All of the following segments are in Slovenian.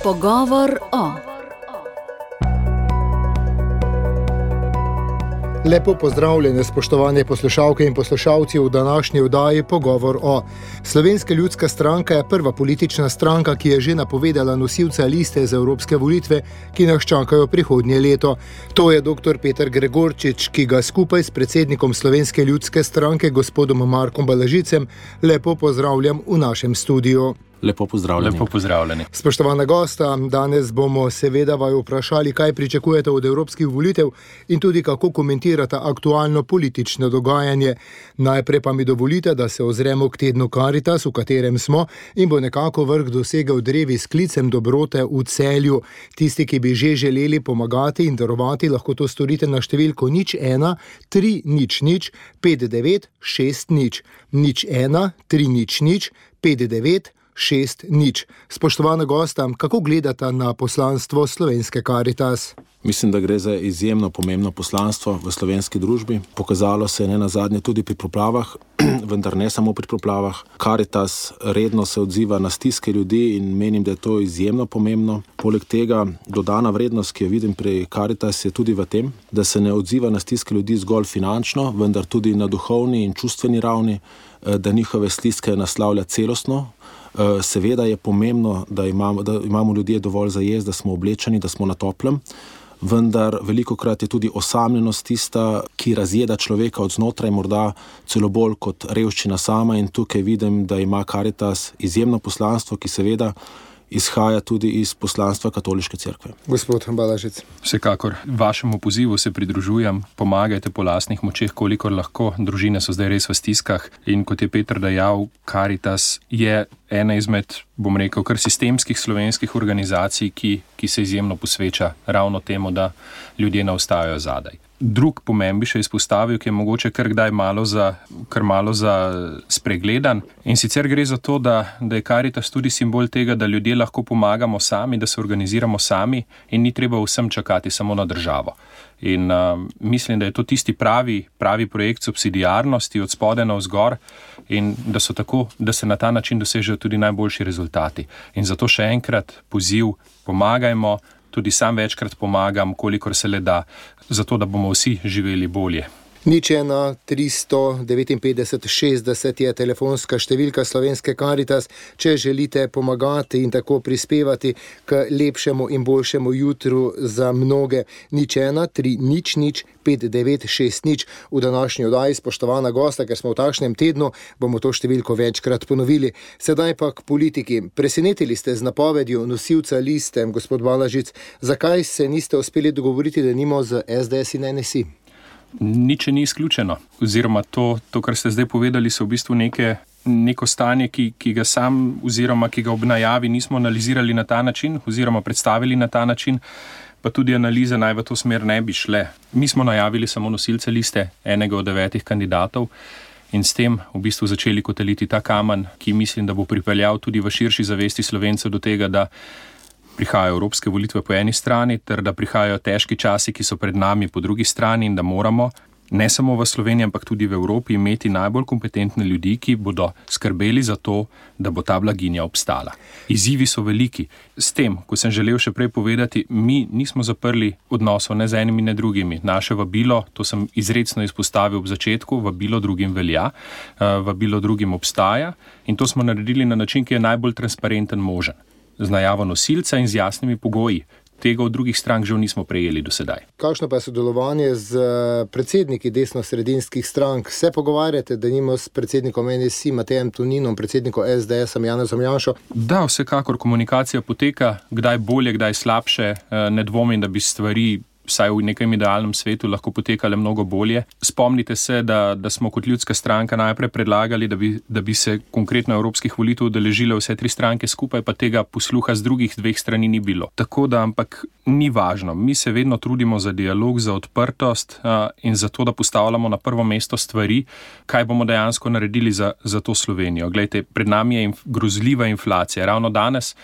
Pogovor o. Lepo pozdravljene, spoštovane poslušalke in poslušalci v današnji oddaji Pogovor o. Slovenska ljudska stranka je prva politična stranka, ki je že napovedala nosilca liste za evropske volitve, ki nas čakajo prihodnje leto. To je dr. Peter Gregorčič, ki ga skupaj s predsednikom Slovenske ljudske stranke, gospodom Markom Balažicem, lepo pozdravljam v našem studiu. Lepo pozdravljeni. Spoštovana gosta, danes bomo seveda vaju vprašali, kaj pričakujete od evropskih volitev in tudi kako komentirate aktualno politično dogajanje. Najprej pa mi dovolite, da se ozremo k tednu Karitas, v katerem smo, in bo nekako vrh dosegel drevi s klicem dobrote v Celju. Tisti, ki bi že želeli pomagati in darovati, lahko to storite na številko 01 300 59 60 01 300 59 60. Spoštovana gosta, kako gledate na poslanstvo slovenske Karitas? Mislim, da gre za izjemno pomembno poslanstvo v slovenski družbi. Pokazalo se je nenazadnje tudi pri poplavah, vendar ne samo pri poplavah. Karitas redno se odziva na stiske ljudi in menim, da je to izjemno pomembno. Poleg tega dodana vrednost, ki jo vidim pri Karitas, je tudi v tem, da se ne odziva na stiske ljudi zgolj finančno, vendar tudi na duhovni in čustveni ravni, da njihove stiske naslavlja celostno. Seveda je pomembno, da imamo ljudje dovolj za jesti, da smo oblečeni, da smo na toplem, vendar velikokrat je tudi osamljenost tista, ki razjeda človeka od znotraj, morda celo bolj kot revščina sama, in tukaj vidim, da ima Karitas izjemno poslanstvo, ki seveda izhaja tudi iz poslanstva Katoliške cerkve. Gospod Balažic. Vsekakor vašemu pozivu se pridružujem, pomagajte po lastnih močeh, kolikor lahko. Družine so zdaj res v stiskah in kot je Peter dejal, Karitas je ena izmed, bom rekel, kar sistemskih slovenskih organizacij, ki se izjemno posveča ravno temu, da ljudje ne ostajajo zadaj. Drug pomen bi še izpostavil, ki je mogoče kar malo za spregledan, in sicer gre za to, da je Karitas tudi simbol tega, da ljudje lahko pomagamo sami, da se organiziramo sami in ni treba vsem čakati samo na državo. In mislim, da je to tisti pravi projekt subsidiarnosti od spodaj navzgor in da se na ta način dosežejo tudi najboljši rezultati. In zato še enkrat poziv, pomagajmo, tudi sam večkrat pomagam, kolikor se le da, zato da bomo vsi živeli bolje. 01 359 60 je telefonska številka slovenske Karitas, če želite pomagati in tako prispevati k lepšemu in boljšemu jutru za mnoge. 01 300 59 60. V današnji oddaji, spoštovana gosta, ker smo v takšnem tednu, bomo to številko večkrat ponovili. Sedaj pa k politiki. Presenetili ste z napovedjo nosilca liste, gospod Balažic. Zakaj se niste uspeli dogovoriti, da nimo z SDS in NSI? Nič ni izključeno. Oziroma to, kar ste zdaj povedali, so v bistvu neko stanje, ki ga sam oziroma ki ga ob najavi nismo analizirali na ta način oziroma predstavili na ta način, pa tudi analize naj v to smer ne bi šle. Mi smo najavili samo nosilce liste, enega od 9 kandidatov, in s tem v bistvu začeli kotaliti ta kamen, ki mislim, da bo pripeljal tudi v širši zavesti Slovencev do tega, da prihajajo evropske volitve po eni strani, ter da prihajajo težki časi, ki so pred nami po drugi strani, in da moramo ne samo v Sloveniji, ampak tudi v Evropi imeti najbolj kompetentne ljudi, ki bodo skrbeli za to, da bo ta blaginja obstala. Izzivi so veliki. S tem, ko sem želel še prej povedati, mi nismo zaprli odnosov ne z enimi, ne drugimi. Naše vabilo, to sem izrecno izpostavil ob začetku, vabilo drugim velja, vabilo drugim obstaja, in to smo naredili na način, ki je najbolj transparenten možen. Z najavo nosilca in z jasnimi pogoji. Tega od drugih strank žal nismo prejeli do sedaj. Kakšno pa je sodelovanje z predsedniki desno-sredinskih strank? Se pogovarjate, da nimo s predsednikom NSI Matejem Toninom, predsednikom SDS Janezom Janšo? Da, vsekakor komunikacija poteka, kdaj bolje, kdaj slabše. Ne dvomim, da bi stvari vsaj v nekem idealnem svetu lahko potekale mnogo bolje. Spomnite se, da smo kot ljudska stranka najprej predlagali, da bi se konkretno evropskih volitev udeležile vse 3 stranke skupaj, pa tega posluha z drugih 2 strani ni bilo. Tako da, ampak ni važno. Mi se vedno trudimo za dialog, za odprtost in za to, da postavljamo na prvo mesto stvari, kaj bomo dejansko naredili za to Slovenijo. Glejte, pred nami je grozljiva inflacija. Ravno danes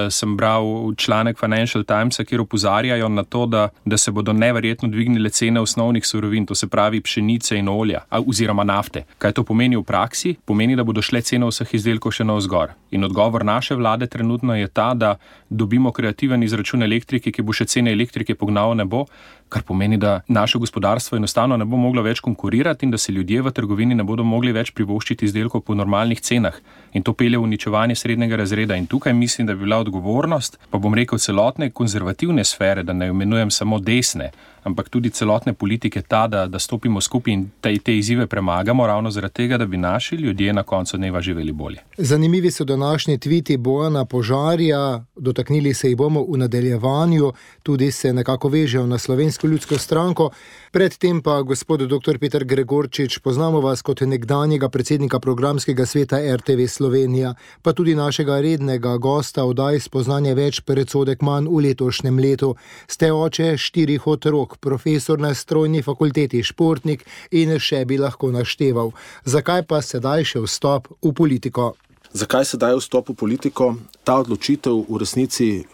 sem bral članek Financial Timesa, kjer opozarjajo na to, da se se bodo neverjetno dvignile cene osnovnih surovin, to se pravi pšenice in olja, oziroma nafte. Kaj to pomeni v praksi? Pomeni, da bodo šle cene vseh izdelkov še navzgor. In odgovor naše vlade trenutno je ta, da dobimo kreativen izračun elektrike, ki bo še cene elektrike pognal v nebo, kar pomeni, da naše gospodarstvo enostavno ne bo moglo več konkurirati in da se ljudje v trgovini ne bodo mogli več privoščiti izdelkov po normalnih cenah. In to pelje v uničevanje srednjega razreda. In tukaj mislim, da bi bila odgovornost, pa bom rekel celotne konzervativne sfere, da ne imenujem samo desne, ampak tudi celotne politike ta, da stopimo skupaj in te izzive premagamo ravno zaradi tega, da bi naši ljudje na koncu dneva živeli bolje. Zanimivi so današnji tviti Bojana Požarja, dotaknili se jih bomo v nadaljevanju, tudi se nekako vežejo na Slovensko ljudsko stranko. Predtem pa gospod dr. Peter Gregorčič, poznamo vas kot nekdanjega predsednika programskega sveta RTV Slovenija, pa tudi našega rednega gosta oddaji Spoznanje več, predsodek manj v letošnjem letu. Ste oče 4 otrok, profesor na strojni fakulteti, športnik in še bi lahko našteval. Zakaj pa sedaj še vstop v politiko? Zakaj sedaj vstop v politiko? Ta odločitev v resnici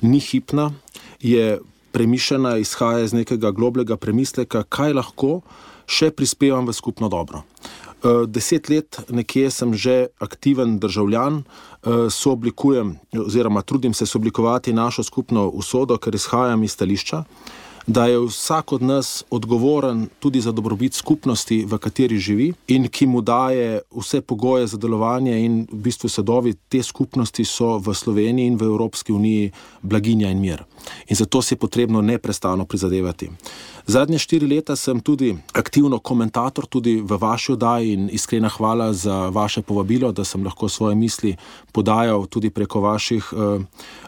ni hipna, je premišljena, izhaja iz nekega globlega premisleka, kaj lahko še prispevam v skupno dobro. 10 let nekje sem že aktiven državljan, sooblikujem oziroma trudim se sooblikovati našo skupno usodo, ker izhajam iz stališča, da je vsak od nas odgovoren tudi za dobrobit skupnosti, v kateri živi in ki mu daje vse pogoje za delovanje in v bistvu sadovi te skupnosti so v Sloveniji in v Evropski uniji blaginja in mir. In zato si je potrebno neprestano prizadevati. Zadnje 4 leta sem tudi aktivno komentator tudi v vaši oddaji in iskrena hvala za vaše povabilo, da sem lahko svoje misli podajal tudi preko vaših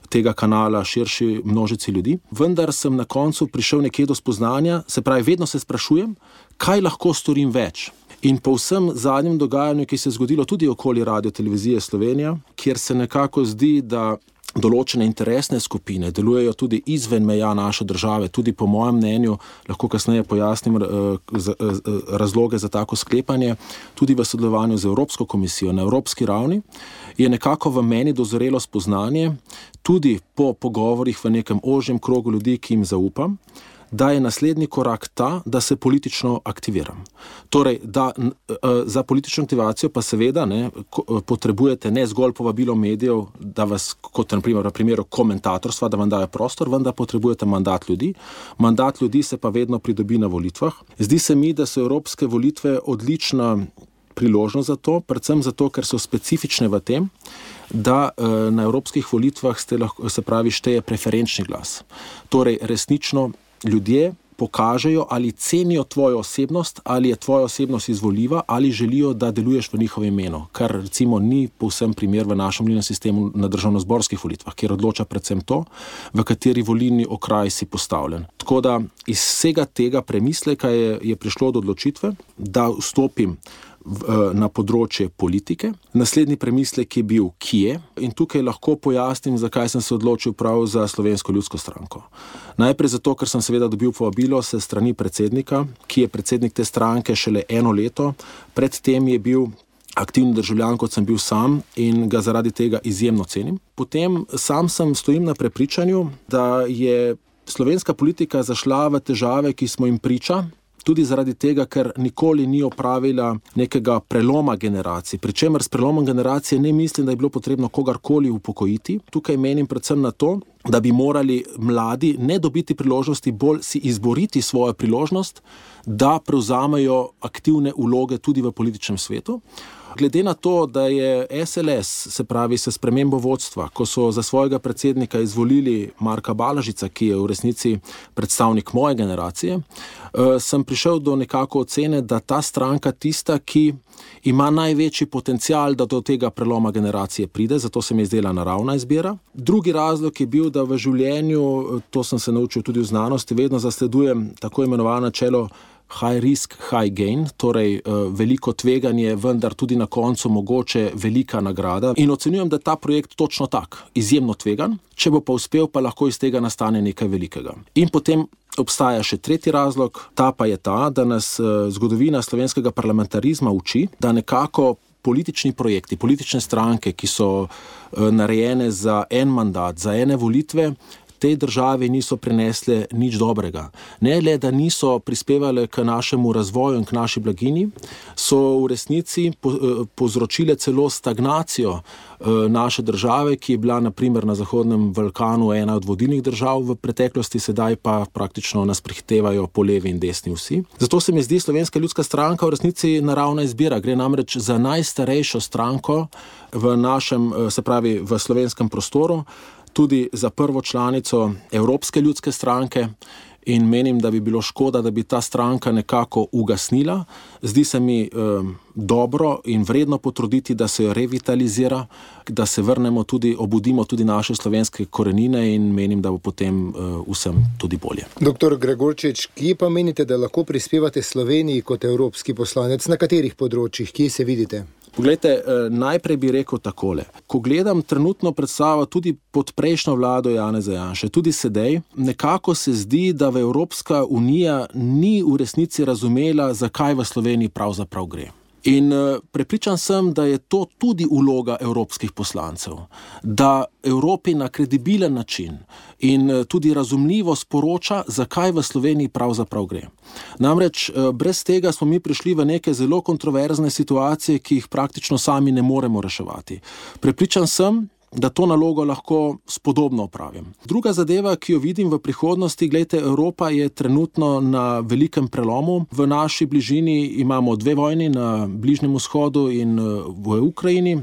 tega kanala širši množici ljudi. Vendar sem na koncu prišel nekje do spoznanja, se pravi, vedno se sprašujem, kaj lahko storim več. In po vsem zadnjem dogajanju, ki se je zgodilo tudi okoli Radiotelevizije Slovenija, kjer se nekako zdi, da določene interesne skupine delujejo tudi izven meja naše države, tudi po mojem mnenju, lahko kasneje pojasnim razloge za tako sklepanje, tudi v sodelovanju z Evropsko komisijo na evropski ravni, je nekako v meni dozorelo spoznanje, tudi po pogovorih v nekem ožjem krogu ljudi, ki jim zaupam, da je naslednji korak ta, da se politično aktiviram. Torej, za politično aktivacijo pa seveda potrebujete ne zgolj povabilo medijev, da vas, kot na primeru komentatorstva, da vam dajo prostor, vendar potrebujete mandat ljudi. Mandat ljudi se pa vedno pridobi na volitvah. Zdi se mi, da so evropske volitve odlična priložnost za to, predvsem zato, ker so specifične v tem, da na evropskih volitvah šteje preferenčni glas. Torej, resnično ljudje pokažejo, ali cenijo tvojo osebnost, ali je tvoja osebnost izvoljiva, ali želijo, da deluješ v njihovem imenu, kar recimo ni povsem primer v našem volilnem sistemu na državnozborskih volitvah, kjer odloča predvsem to, v kateri volilni okraj si postavljen. Tako da iz vsega tega premisleka je prišlo do odločitve, da vstopim na področje politike. Naslednji premislek je bil, kje, in tukaj lahko pojasnim, zakaj sem se odločil prav za Slovensko ljudsko stranko. Najprej zato, ker sem seveda dobil povabilo se strani predsednika, ki je predsednik te stranke šele 1 leto, predtem je bil aktivni državljan, kot sem bil sam, in ga zaradi tega izjemno cenim. Potem sam stojim na prepričanju, da je slovenska politika zašla v težave, ki smo jim priča, tudi zaradi tega, ker nikoli ni opravila nekega preloma generacij. Pričemer s prelomom generacije ne mislim, da je bilo potrebno kogarkoli upokojiti. Tukaj menim predvsem na to, da bi morali mladi ne dobiti priložnosti, bolj si izboriti svojo priložnost, da prevzamejo aktivne vloge tudi v političnem svetu. Glede na to, da je SLS, se pravi s spremembo vodstva, ko so za svojega predsednika izvolili Marka Balažica, ki je v resnici predstavnik moje generacije, sem prišel do nekako ocene, da ta stranka tista, ki ima največji potencial, da do tega preloma generacije pride, zato se mi je zdela naravna izbira. Drugi razlog je bil, da v življenju, to sem se naučil tudi v znanosti, vedno zasledujem tako imenovano načelo high risk, high gain, torej veliko tveganje, vendar tudi na koncu mogoče velika nagrada. In ocenjujem, da ta projekt točno tak, izjemno tvegan, če bo pa uspel, pa lahko iz tega nastane nekaj velikega. In potem obstaja še tretji razlog, ta pa je ta, da nas zgodovina slovenskega parlamentarizma uči, da nekako politični projekti, politične stranke, ki so narejene za en mandat, za ene volitve, tej državi niso prinesle nič dobrega. Ne le, da niso prispevale k našemu razvoju in k naši blaginji, so v resnici povzročile celo stagnacijo naše države, ki je bila na primer na Zahodnem Balkanu ena od vodilnih držav v preteklosti, sedaj pa praktično nas prehitevajo po levi in desni vsi. Zato se mi zdi Slovenska ljudska stranka v resnici naravna izbira. Gre namreč za najstarejšo stranko v našem, se pravi v slovenskem prostoru, tudi za prvo članico Evropske ljudske stranke, in menim, da bi bilo škoda, da bi ta stranka nekako ugasnila. Zdi se mi dobro in vredno potruditi, da se jo revitalizira, da se vrnemo tudi, obudimo tudi naše slovenske korenine, in menim, da bo potem vsem tudi bolje. Dr. Gregorčič, kje pa menite, da lahko prispevate Sloveniji kot evropski poslanec? Na katerih področjih? Kje se vidite? Poglejte, najprej bi rekel takole. Ko gledam trenutno predstavo tudi pod prejšnjo vlado Janeza Janše, tudi sedaj, nekako se zdi, da v Evropska unija ni v resnici razumela, zakaj v Sloveniji pravzaprav gre. In prepričan sem, da je to tudi vloga evropskih poslancev, da Evropi na kredibilen način in tudi razumljivo sporoča, zakaj v Sloveniji pravzaprav gre. Namreč brez tega smo mi prišli v neke zelo kontroverzne situacije, ki jih praktično sami ne moremo reševati. Prepričan sem, da to nalogo lahko spodobno opravim. Druga zadeva, ki jo vidim v prihodnosti, gledajte, Evropa je trenutno na velikem prelomu. V naši bližini imamo 2 vojni, na Bližnjem vzhodu in v Ukrajini.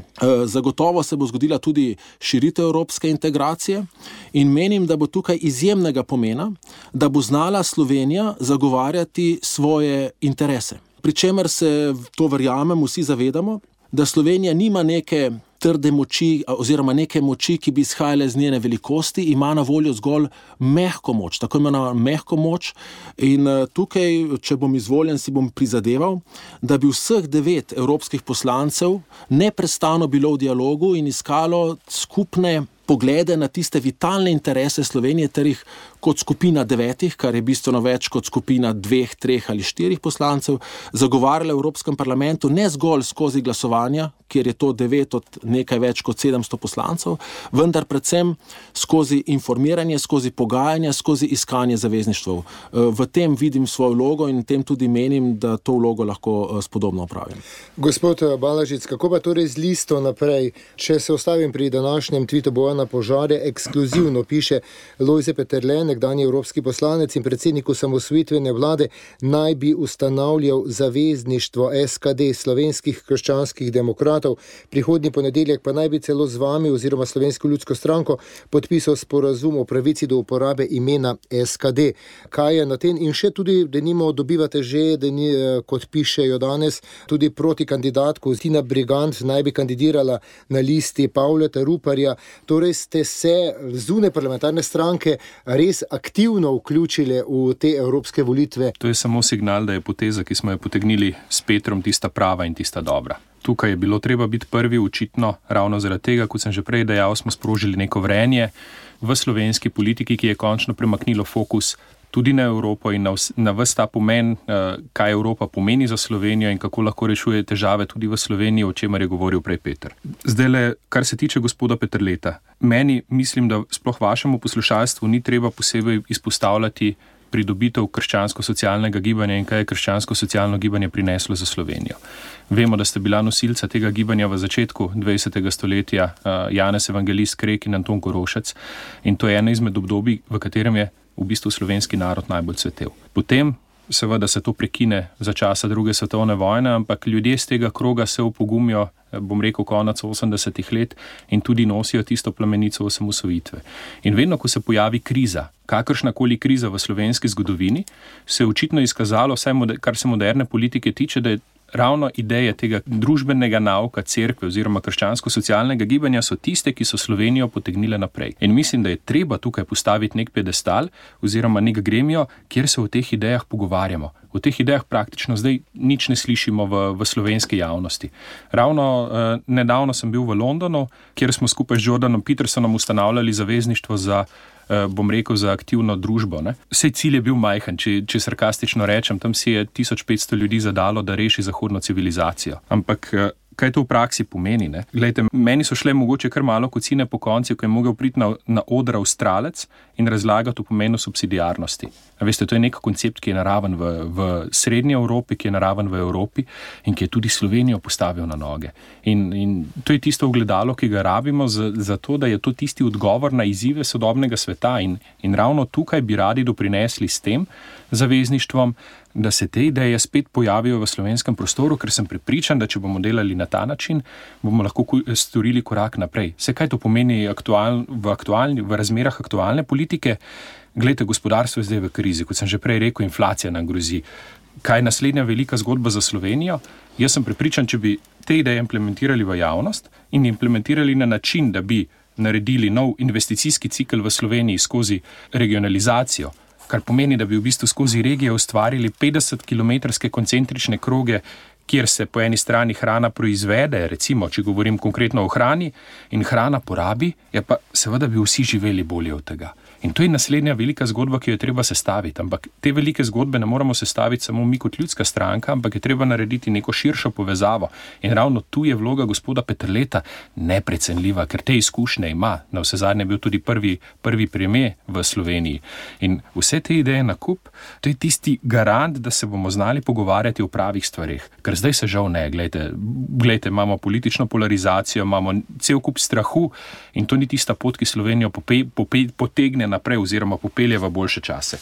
Zagotovo se bo zgodila tudi širitev evropske integracije in menim, da bo tukaj izjemnega pomena, da bo znala Slovenija zagovarjati svoje interese. Pričemer se, to verjamem, vsi zavedamo, da Slovenija nima neke trde moči oziroma neke moči, ki bi izhajale z njene velikosti, ima na voljo zgolj mehko moč, tako imenovano mehko moč, in tukaj, če bom izvoljen, si bom prizadeval, da bi vseh 9 evropskih poslancev neprestano bilo v dialogu in iskalo skupne poglede na tiste vitalne interese Slovenije, ter jih kot skupina 9, kar je bistveno več kot skupina 2, 3 ali 4 poslancev, zagovarjala v Evropskem parlamentu ne zgolj skozi glasovanja, kjer je to 9 od nekaj več kot 700 poslancev, vendar predvsem skozi informiranje, skozi pogajanja, skozi iskanje zavezništev. V tem vidim svojo vlogo in tem tudi menim, da to vlogo lahko spodobno opravim. Gospod Balažic, kako pa torej z listo naprej? Če se ostavim pri današnjem tvitu Bojana Požare, ekskluzivno piše Lojze Peterle, nekdanji evropski poslanec in predsednik osamosvojitvene vlade, naj bi ustanavljal zavezništvo SKD, Slovenskih krščanskih demokratov. Prihodnji ponedeljek pa naj bi celo z vami oziroma Slovensko ljudsko stranko podpisal sporazum o pravici do uporabe imena SKD. Kaj je na tem? In še tudi, denimo, dobivate že, kot pišejo danes, tudi proti kandidatku Tina Brigant naj bi kandidirala na listi Pavleta Ruparja. Torej ste se zunaj parlamentarne stranke res aktivno vključili v te evropske volitve. To je samo signal, da je poteza, ki smo jo potegnili s Petrom, tista prava in tista dobra. Tukaj je bilo treba biti prvi, očitno ravno zaradi tega, kot sem že prej dejal, smo sprožili neko vrenje v slovenski politiki, ki je končno premaknilo fokus tudi na Evropo in na ves ta pomen, kaj Evropa pomeni za Slovenijo in kako lahko rešuje težave tudi v Sloveniji, o čemer je govoril prej Peter. Zdajle, kar se tiče gospoda Peterleta, meni mislim, da sploh vašemu poslušalstvu ni treba posebej izpostavljati pridobitev krščansko-socialnega gibanja in kaj je krščansko-socialno gibanje prineslo za Slovenijo. Vemo, da ste bila nosilca tega gibanja v začetku 20. stoletja, Janez Evangelist Krek in Anton Korošec, in to je eno izmed obdobij, v katerem je v bistvu slovenski narod najbolj cvetel. Potem seveda se to prekine za časa 2. svetovne vojne, ampak ljudje z tega kroga se opogumijo, bom rekel, konec 80. let in tudi nosijo tisto plamenico osamosvojitve. In vedno, ko se pojavi kriza, kakršnakoli kriza v slovenski zgodovini, se je očitno izkazalo, kar se moderne politike tiče, da je ravno ideje tega družbenega nauka cerkve oziroma krščansko-socialnega gibanja so tiste, ki so Slovenijo potegnile naprej. In mislim, da je treba tukaj postaviti nek pedestal oziroma nek gremijo, kjer se o teh idejah pogovarjamo. O teh idejah praktično zdaj nič ne slišimo v slovenski javnosti. Ravno nedavno sem bil v Londonu, kjer smo skupaj z Jordanom Petersonom ustanavljali zavezništvo za za aktivno družbo. Sej cilj je bil majhen, če sarkastično rečem, tam si je 1500 ljudi zadalo, da reši zahodno civilizacijo. Ampak kaj to v praksi pomeni. Ne? Glejte, meni so šle mogoče kar malo kocine po konci, ko je mogel priti na oder Avstralec in razlagati o pomenu subsidiarnosti. Veste, to je nek koncept, ki je naraven v srednji Evropi, ki je naraven v Evropi in ki je tudi Slovenijo postavil na noge. In to je tisto ogledalo, ki ga rabimo za to, da je to tisti odgovor na izzive sodobnega sveta in ravno tukaj bi radi doprinesli s tem zavezništvom, da se te ideje spet pojavijo v slovenskem prostoru, ker sem prepričan, da če bomo delali na ta način, bomo lahko storili korak naprej. Vse, kaj to pomeni v razmerah aktualne politike? Glejte, gospodarstvo je zdaj v krizi, kot sem že prej rekel, inflacija nam grozi. Kaj je naslednja velika zgodba za Slovenijo? Jaz sem prepričan, če bi te ideje implementirali v javnost in implementirali na način, da bi naredili nov investicijski cikel v Sloveniji skozi regionalizacijo, kar pomeni, da bi v bistvu skozi regije ustvarili 50-kilometrske koncentrične kroge, kjer se po eni strani hrana proizvede, recimo, če govorim konkretno o hrani, in hrana porabi, ja pa seveda bi vsi živeli bolje od tega. In to je naslednja velika zgodba, ki jo je treba sestaviti. Ampak te velike zgodbe ne moramo sestaviti samo mi kot ljudska stranka, ampak je treba narediti neko širšo povezavo. In ravno tu je vloga gospoda Peterleta neprecenljiva, ker te izkušnje ima. Na vse zadnje je bil tudi prvi premier v Sloveniji. In vse te ideje na kup, to je tisti garant, da se bomo znali pogovarjati o pravih stvareh. Ker zdaj se žal ne. Glejte, imamo politično polarizacijo, imamo cel kup strahu in to ni tista pot, ki Slovenijo potegne naprej oziroma popelje v boljše čase.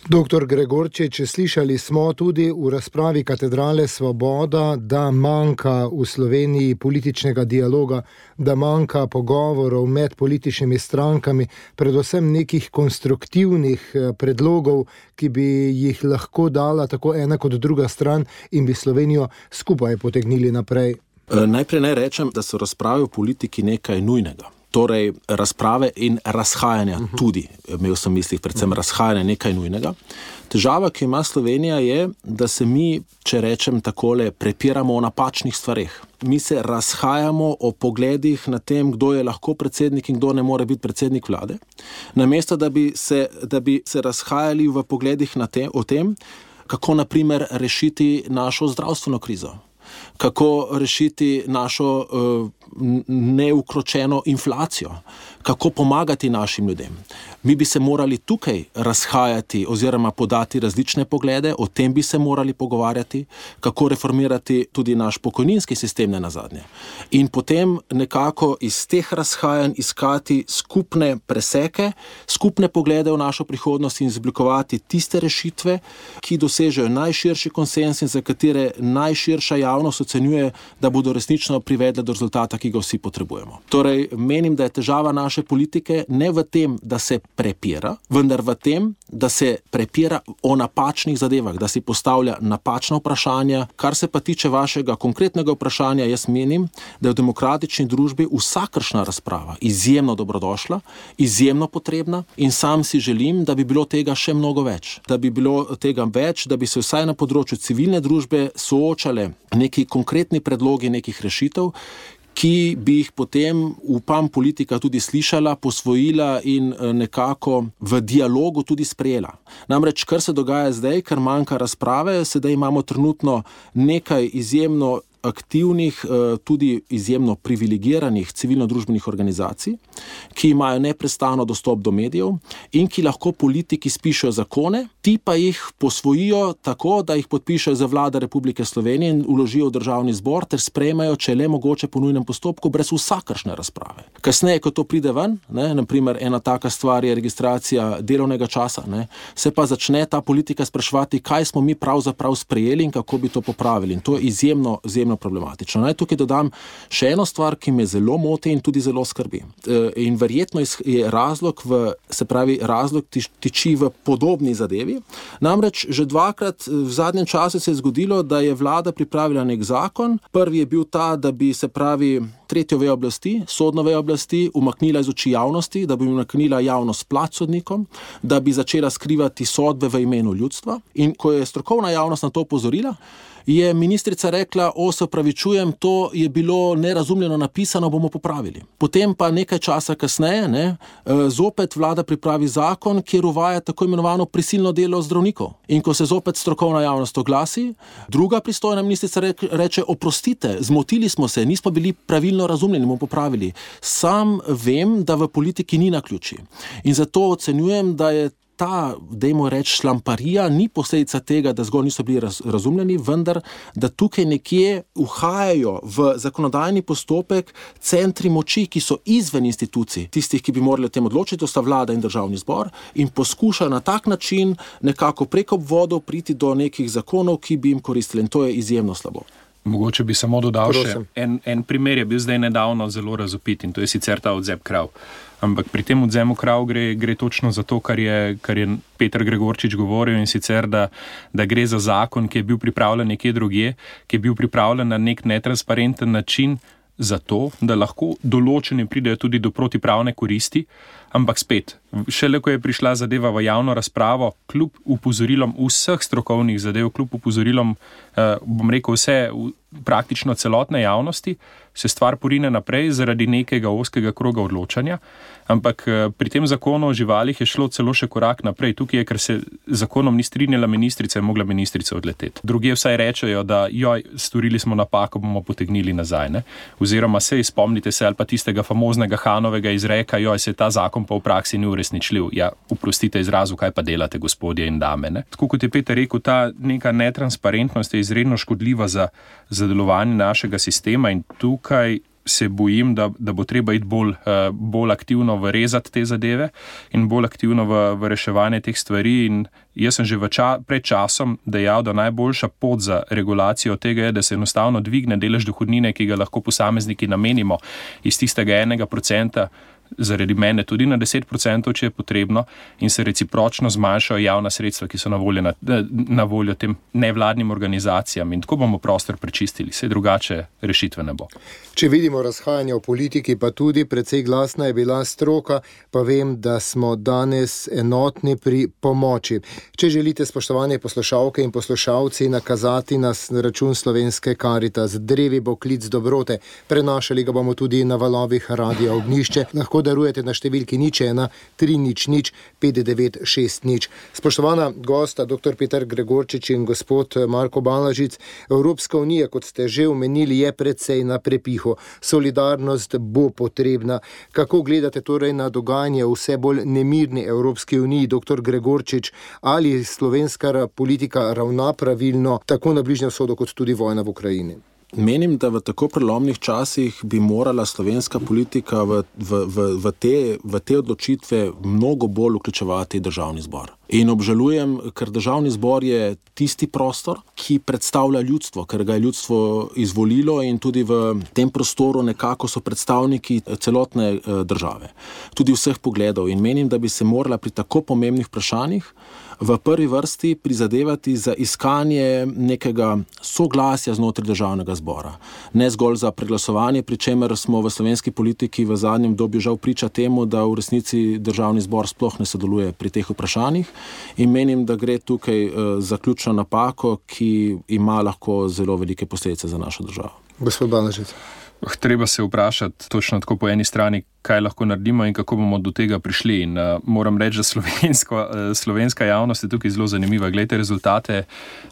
Doktor Gregorčič, slišali smo tudi v razpravi Katedrale Svoboda, da manjka v Sloveniji političnega dialoga, da manjka pogovorov med političnimi strankami, predvsem nekih konstruktivnih predlogov, ki bi jih lahko dala tako ena kot druga stran in bi Slovenijo skupaj potegnili naprej. Najprej naj rečem, da so razprave v politiki nekaj nujnega. Torej, razprave in razhajanja tudi, imel sem v mislih predvsem razhajanje nekaj nujnega. Težava, ki ima Slovenija, je, da se mi, če rečem takole, prepiramo o napačnih stvareh. Mi se razhajamo o pogledih na tem, kdo je lahko predsednik in kdo ne more biti predsednik vlade. Namesto, da bi se razhajali v pogledih o tem, kako naprimer rešiti našo zdravstveno krizo. Kako rešiti našo neukročeno inflacijo, kako pomagati našim ljudem. Mi bi se morali tukaj razhajati oziroma podati različne poglede, o tem bi se morali pogovarjati, kako reformirati tudi naš pokojninski sistem nenazadnje. In potem nekako iz teh razhajanj iskati skupne preseke, skupne poglede v našo prihodnost in izoblikovati tiste rešitve, ki dosežejo najširši konsens in za katere najširša javnost ocenjuje, da bodo resnično privedle do rezultata, ki ga vsi potrebujemo. Torej, menim, da je težava naše politike ne v tem, da se prepira, vendar v tem, da se prepira o napačnih zadevah, da si postavlja napačna vprašanja. Kar se pa tiče vašega konkretnega vprašanja, jaz menim, da je v demokratični družbi vsakršna razprava izjemno dobrodošla, izjemno potrebna in sam si želim, da bi bilo tega še mnogo več. Da bi bilo tega več, da bi se vsaj na področju civilne družbe soočale neki konkretni predlogi nekih rešitev, ki bi jih potem, upam, politika tudi slišala, posvojila in nekako v dialogu tudi sprejela. Namreč, kar se dogaja zdaj, ker manjka razprave, sedaj imamo trenutno nekaj izjemno aktivnih, tudi izjemno privilegiranih civilno-družbenih organizacij, ki imajo neprestano dostop do medijev in ki lahko politiki spišejo zakone, ti pa jih posvojijo tako, da jih podpišejo za Vlada Republike Slovenije in vložijo v Državni zbor ter sprejmejo, če le mogoče po nujnem postopku, brez vsakršne razprave. Kasneje, ko to pride ven, naprimer ena taka stvar je registracija delovnega časa, se pa začne ta politika spraševati, kaj smo mi pravzaprav sprejeli in kako bi to popravili. In to je izjemno problematično. Naj tukaj dodam še eno stvar, ki me zelo moti in tudi zelo skrbi. In verjetno je razlog tiči v podobni zadevi. Namreč že dvakrat v zadnjem času se je zgodilo, da je vlada pripravila nek zakon. Prvi je bil ta, da bi tretjo vejo oblasti, sodno vejo oblasti, umaknila iz oči javnosti, da bi umaknila javnost plač sodnikom, da bi začela skrivati sodbe v imenu ljudstva. In ko je strokovna javnost na to opozorila, je ministrica rekla, se opravičujem, to je bilo nerazumljeno napisano, bomo popravili. Potem pa nekaj časa kasneje, zopet vlada pripravi zakon, kjer uvaja tako imenovano prisilno delo zdravnikov. In ko se zopet strokovna javnost oglasi, druga pristojna ministrica reče, oprostite, zmotili smo se, nismo bili pravilno razumljeni, bomo popravili. Sam vem, da v politiki ni naključij. In zato ocenjujem, da je ta, dajmo reči, šlamparija ni posledica tega, da zgolj niso bili razumljeni, vendar, da tukaj nekje uhajajo v zakonodajni postopek centri moči, ki so izven institucij, tistih, ki bi morali o tem odločiti, to sta vlada in državni zbor, in poskušajo na tak način nekako preko obvodov priti do nekih zakonov, ki bi jim koristili. In to je izjemno slabo. Mogoče bi samo dodal še en primer, je bil zdaj nedavno zelo razvpit in to je sicer ta odvzem krav. Ampak pri tem odvzemu krav gre točno za to, kar je Peter Gregorčič govoril, in sicer, da gre za zakon, ki je bil pripravljen nekje drugje, ki je bil pripravljen na nek netransparenten način zato, da lahko določeni pridejo tudi do protipravne koristi, ampak spet, šele ko je prišla zadeva v javno razpravo, kljub upozorilom vseh strokovnih zadev, kljub upozorilom, bom rekel, praktično celotne javnosti, se stvar porine naprej zaradi nekega ozkega kroga odločanja, ampak pri tem zakonu o živalih je šlo celo še korak naprej. Tukaj je, ker se zakonom ni strinjala ministrica, je mogla ministrica odleteti. Drugi vsaj rečejo, da storili smo napako, bomo potegnili nazaj, ne? Oziroma spomnite se, ali pa tistega famoznega Hanovega izreka, se ta zakon pa v praksi ni uresničljiv. Ja, oprostite izrazu, kaj pa delate, gospodje in dame, ne? Tako kot je Peter rekel, ta neka netransparentnost je izredno škodljiva za delovanje našega sistema in tukaj se bojim, da bo treba iti bolj aktivno vrezati te zadeve in bolj aktivno v reševanje teh stvari. In jaz sem že pred časom dejal, da najboljša pot za regulacijo tega je, da se enostavno dvigne delež dohodnine, ki ga lahko posamezniki namenimo iz tistega 1%, zaradi mene tudi na 10%, če je potrebno, in se recipročno zmanjšajo javna sredstva, ki so na voljo tem nevladnim organizacijam, in tako bomo prostor prečistili, saj drugače rešitve ne bo. Če vidimo razhajanje v politiki, pa tudi precej glasna je bila stroka, pa vem, da smo danes enotni pri pomoči. Če želite, spoštovane poslušalke in poslušalci, nakazati nas na račun Slovenske Karitas, drevi bo klic dobrote, prenašali ga bomo tudi na valovih Radia Ognjišče, lahko darujete na številki 01 300 5960. Spoštovana gosta, dr. Peter Gregorčič in gospod Marko Balažic, Evropska unija, kot ste že omenili, je precej na prepihu. Solidarnost bo potrebna. Kako gledate torej na dogajanje v vse bolj nemirni Evropski uniji, dr. Gregorčič, ali slovenska politika ravna pravilno, tako na Bližnjem vzhodu kot tudi vojna v Ukrajini? Menim, da v tako prelomnih časih bi morala slovenska politika v te odločitve mnogo bolj vključevati državni zbor. In obžalujem, ker državni zbor je tisti prostor, ki predstavlja ljudstvo, ker ga je ljudstvo izvolilo in tudi v tem prostoru nekako so predstavniki celotne države, tudi vseh pogledov. In menim, da bi se morala pri tako pomembnih vprašanjih v prvi vrsti prizadevati za iskanje nekega soglasja znotraj državnega zbora. Ne zgolj za preglasovanje, pri čemer smo v slovenski politiki v zadnjem obdobju žal priča temu, da v resnici državni zbor sploh ne sodeluje pri teh vprašanjih. In menim, da gre tukaj za ključno napako, ki ima lahko zelo velike posledice za našo državo. Gospod Balažic. Treba se vprašati točno tako po eni strani, kaj lahko naredimo in kako bomo do tega prišli. In moram reči, da slovenska javnost je tukaj zelo zanimiva. Glejte rezultate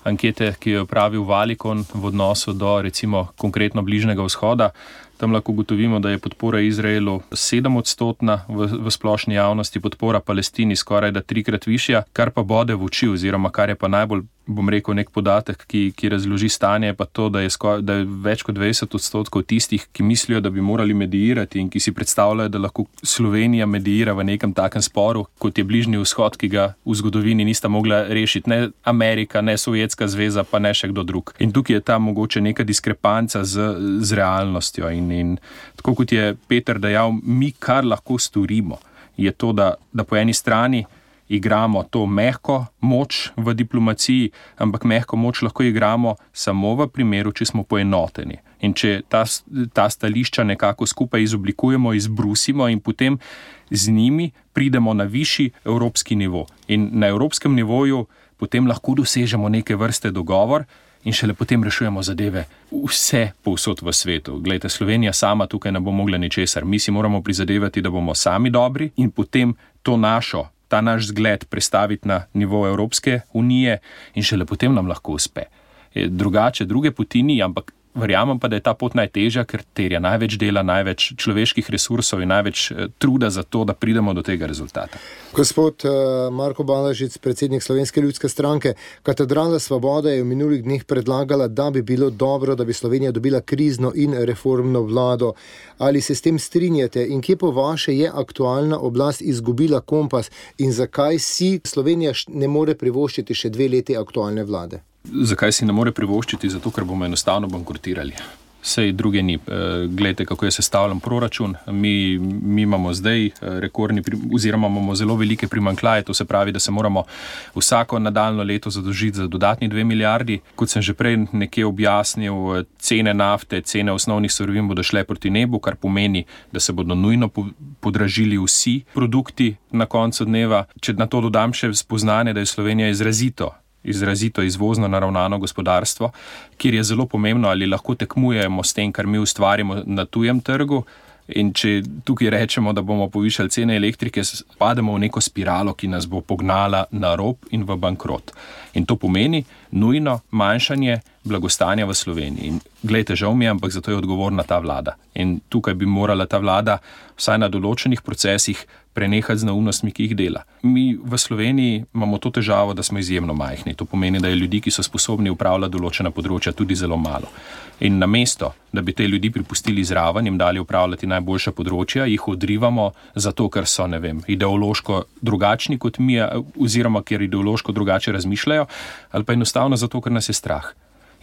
ankete, ki jo je pravil Valikon v odnosu do recimo konkretno Bližnjega vzhoda. Tam lahko ugotovimo, da je podpora Izraelu 7% v splošni javnosti, podpora Palestini skoraj da 3-krat višja, kar pa bode v oči, oziroma kar je pa najbolj, bom rekel, nek podatek, ki razloži stanje, pa to, da je več kot 20% tistih, ki mislijo, da bi morali mediirati in ki si predstavljajo, da lahko Slovenija mediira v nekem takem sporu, kot je Bližnji vzhod, ki ga v zgodovini nista mogla rešiti ne Amerika, ne Sovjetska zveza, pa ne še kdo drug. In tukaj je ta mogoče neka diskrepanca z realnostjo. In tako kot je Peter dejal, mi kar lahko storimo, je to, da po eni strani igramo to mehko moč v diplomaciji, ampak mehko moč lahko igramo samo v primeru, če smo poenoteni. In če ta stališča nekako skupaj izoblikujemo, izbrusimo in potem z njimi pridemo na višji evropski nivo. In na evropskem nivoju potem lahko dosežemo neke vrste dogovor in šele potem rešujemo zadeve vse povsod v svetu. Glejte, Slovenija sama tukaj ne bo mogla ničesar. Mi si moramo prizadevati, da bomo sami dobri in potem ta naš zgled prestaviti na nivo Evropske unije in šele potem nam lahko uspe. Druge poti ni, ampak verjamem pa, da je ta pot najtežja, ker terja največ dela, največ človeških resursov in največ truda za to, da pridemo do tega rezultata. Gospod Marko Balažic, predsednik Slovenske ljudske stranke, Katedrala Svobode je v minulih dneh predlagala, da bi bilo dobro, da bi Slovenija dobila krizno in reformno vlado. Ali se s tem strinjate in kje po vaše je aktualna oblast izgubila kompas in zakaj si Slovenija ne more privoščiti še 2 leti aktualne vlade? Zakaj si ne more privoščiti? Zato, ker bomo enostavno bankrotirali. Sej druge ni. Glejte, kako je sestavljen proračun. Mi imamo zdaj rekordni, oziroma imamo zelo velike primanjkljaje, to se pravi, da se moramo vsako nadaljno leto zadolžiti za dodatni 2 milijardi. Kot sem že prej nekje objasnil, cene nafte, cene osnovnih surovin bodo šle proti nebu, kar pomeni, da se bodo nujno podražili vsi produkti na koncu dneva. Če na to dodam še spoznanje, da je Slovenija izrazito izvozno naravnano gospodarstvo, kjer je zelo pomembno, ali lahko tekmujemo s tem, kar mi ustvarimo na tujem trgu. In če tukaj rečemo, da bomo povišali cene elektrike, pademo v neko spiralo, ki nas bo pognala na rob in v bankrot. In to pomeni nujno manjšanje blagostanja v Sloveniji. In glejte, žal mi je, ampak zato je odgovorna ta vlada. In tukaj bi morala ta vlada vsaj na določenih procesih prenehati z neumnostmi, ki jih dela. Mi v Sloveniji imamo to težavo, da smo izjemno majhni. To pomeni, da je ljudi, ki so sposobni upravljati določena področja, tudi zelo malo. In namesto, da bi te ljudi pripustili zraven, jim dali upravljati najboljša področja, jih odrivamo zato, ker so, ideološko drugačni kot mi, oziroma ker ideološko drugače razmišljajo, ali pa enostavno zato, ker nas je strah.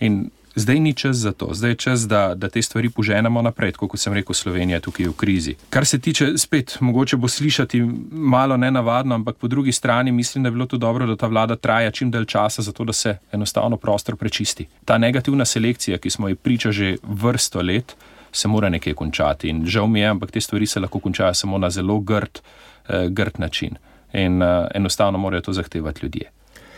In zdaj ni čas za to. Zdaj je čas, da te stvari poženemo naprej, kot sem rekel, Slovenija je tukaj v krizi. Kar se tiče, spet, mogoče bo slišati malo nenavadno, ampak po drugi strani mislim, da je bilo to dobro, da ta vlada traja čim dalj časa, zato da se enostavno prostor prečisti. Ta negativna selekcija, ki smo ji priča že vrsto let, se mora nekje končati. In žal mi je, ampak te stvari se lahko končajo samo na zelo grd način. In enostavno morajo to zahtevati ljudje.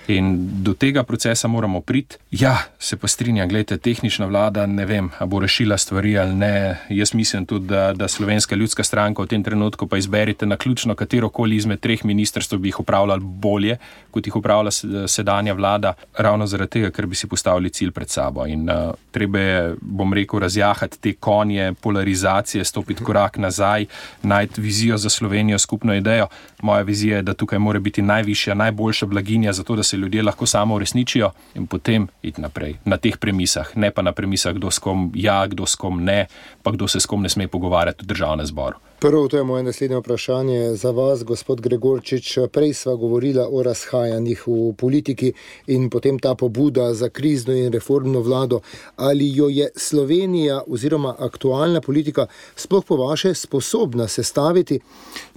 In do tega procesa moramo priti. Ja, se pa strinjam, gledajte, tehnična vlada, ne vem, a bo rešila stvari ali ne. Jaz mislim tudi, da Slovenska ljudska stranka v tem trenutku pa izberite naključno katerokoli izmed 3 ministrstv bi jih upravljali bolje, kot jih upravlja sedanja vlada, ravno zaradi tega, ker bi si postavili cilj pred sabo. In treba je, bom rekel, razjahati te konje polarizacije, stopiti korak nazaj, najti vizijo za Slovenijo, skupno idejo. Moja vizija je, da tukaj mora biti najvišja, najboljša blaginja, zato da se ljudje lahko samo uresničijo in potem iti naprej na teh premisah, ne pa na premisah, kdo s kom ja, kdo s kom ne, pa kdo se s kom ne sme pogovarjati v državnem zboru. Prvo, to je moje naslednje vprašanje za vas, gospod Gregorčič. Prej sva govorila o razhajanjih v politiki in potem ta pobuda za krizno in reformno vlado. Ali jo je Slovenija oziroma aktualna politika sploh po vaše sposobna sestaviti?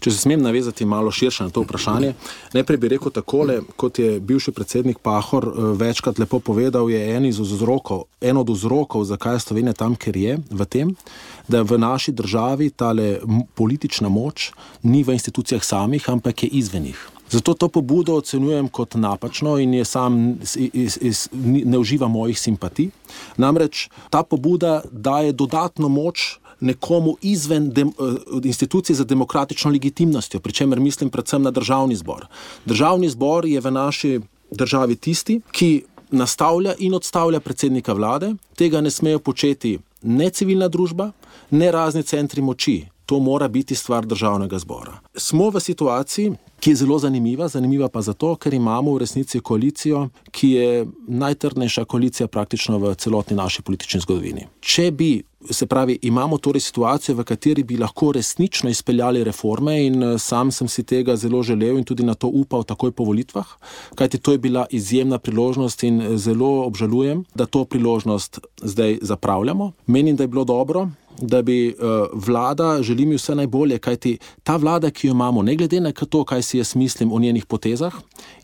Če se smem navezati malo širše na to vprašanje, najprej bi rekel takole, kot je bivši predsednik Pahor večkrat lepo povedal, je en od vzrokov, zakaj je Slovenija tam, ker je, v tem, da v naši državi tale politična moč ni v institucijah samih, ampak je izven njih. Zato to pobudo ocenjujem kot napačno in je ne uživa mojih simpatij. Namreč ta pobuda daje dodatno moč nekomu izven institucij za demokratično legitimnostjo, pri čemer mislim predvsem na državni zbor. Državni zbor je v naši državi tisti, ki nastavlja in odstavlja predsednika vlade. Tega ne smejo početi ne civilna družba, ne razni centri moči. To mora biti stvar državnega zbora. Smo v situaciji, ki je zelo zanimiva pa zato, ker imamo v resnici koalicijo, ki je najtrdnejša koalicija praktično v celotni naši politični zgodovini. Če bi, se pravi, imamo torej situacijo, v kateri bi lahko resnično izpeljali reforme in sam sem si tega zelo želel in tudi na to upal takoj po volitvah, kajti to je bila izjemna priložnost in zelo obžalujem, da to priložnost zdaj zapravljamo. Menim, da je bilo dobro, da bi vlada, želim ji vse najbolje, kajti ta vlada, ki jo imamo, ne glede na to, kaj si jaz mislim o njenih potezah,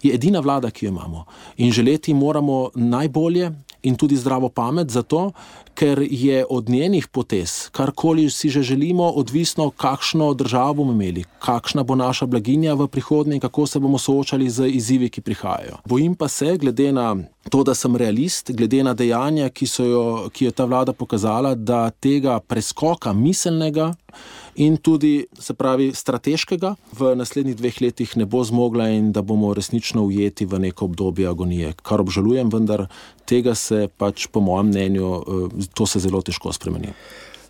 je edina vlada, ki jo imamo. In želeti moramo najbolje in tudi zdravo pamet, zato, ker je od njenih potez, karkoli si že želimo, odvisno, kakšno državo bomo imeli, kakšna bo naša blaginja v prihodnje in kako se bomo soočali z izzivi, ki prihajajo. Bojim pa se, glede na to, da sem realist, glede na dejanja, ki je ta vlada pokazala, da tega preskoka miselnega in tudi, se pravi, strateškega v naslednjih 2 letih ne bo zmogla in da bomo resnično ujeti v neko obdobje agonije, kar obžalujem, vendar tega se pač po mojem mnenju, to se zelo težko spremeni.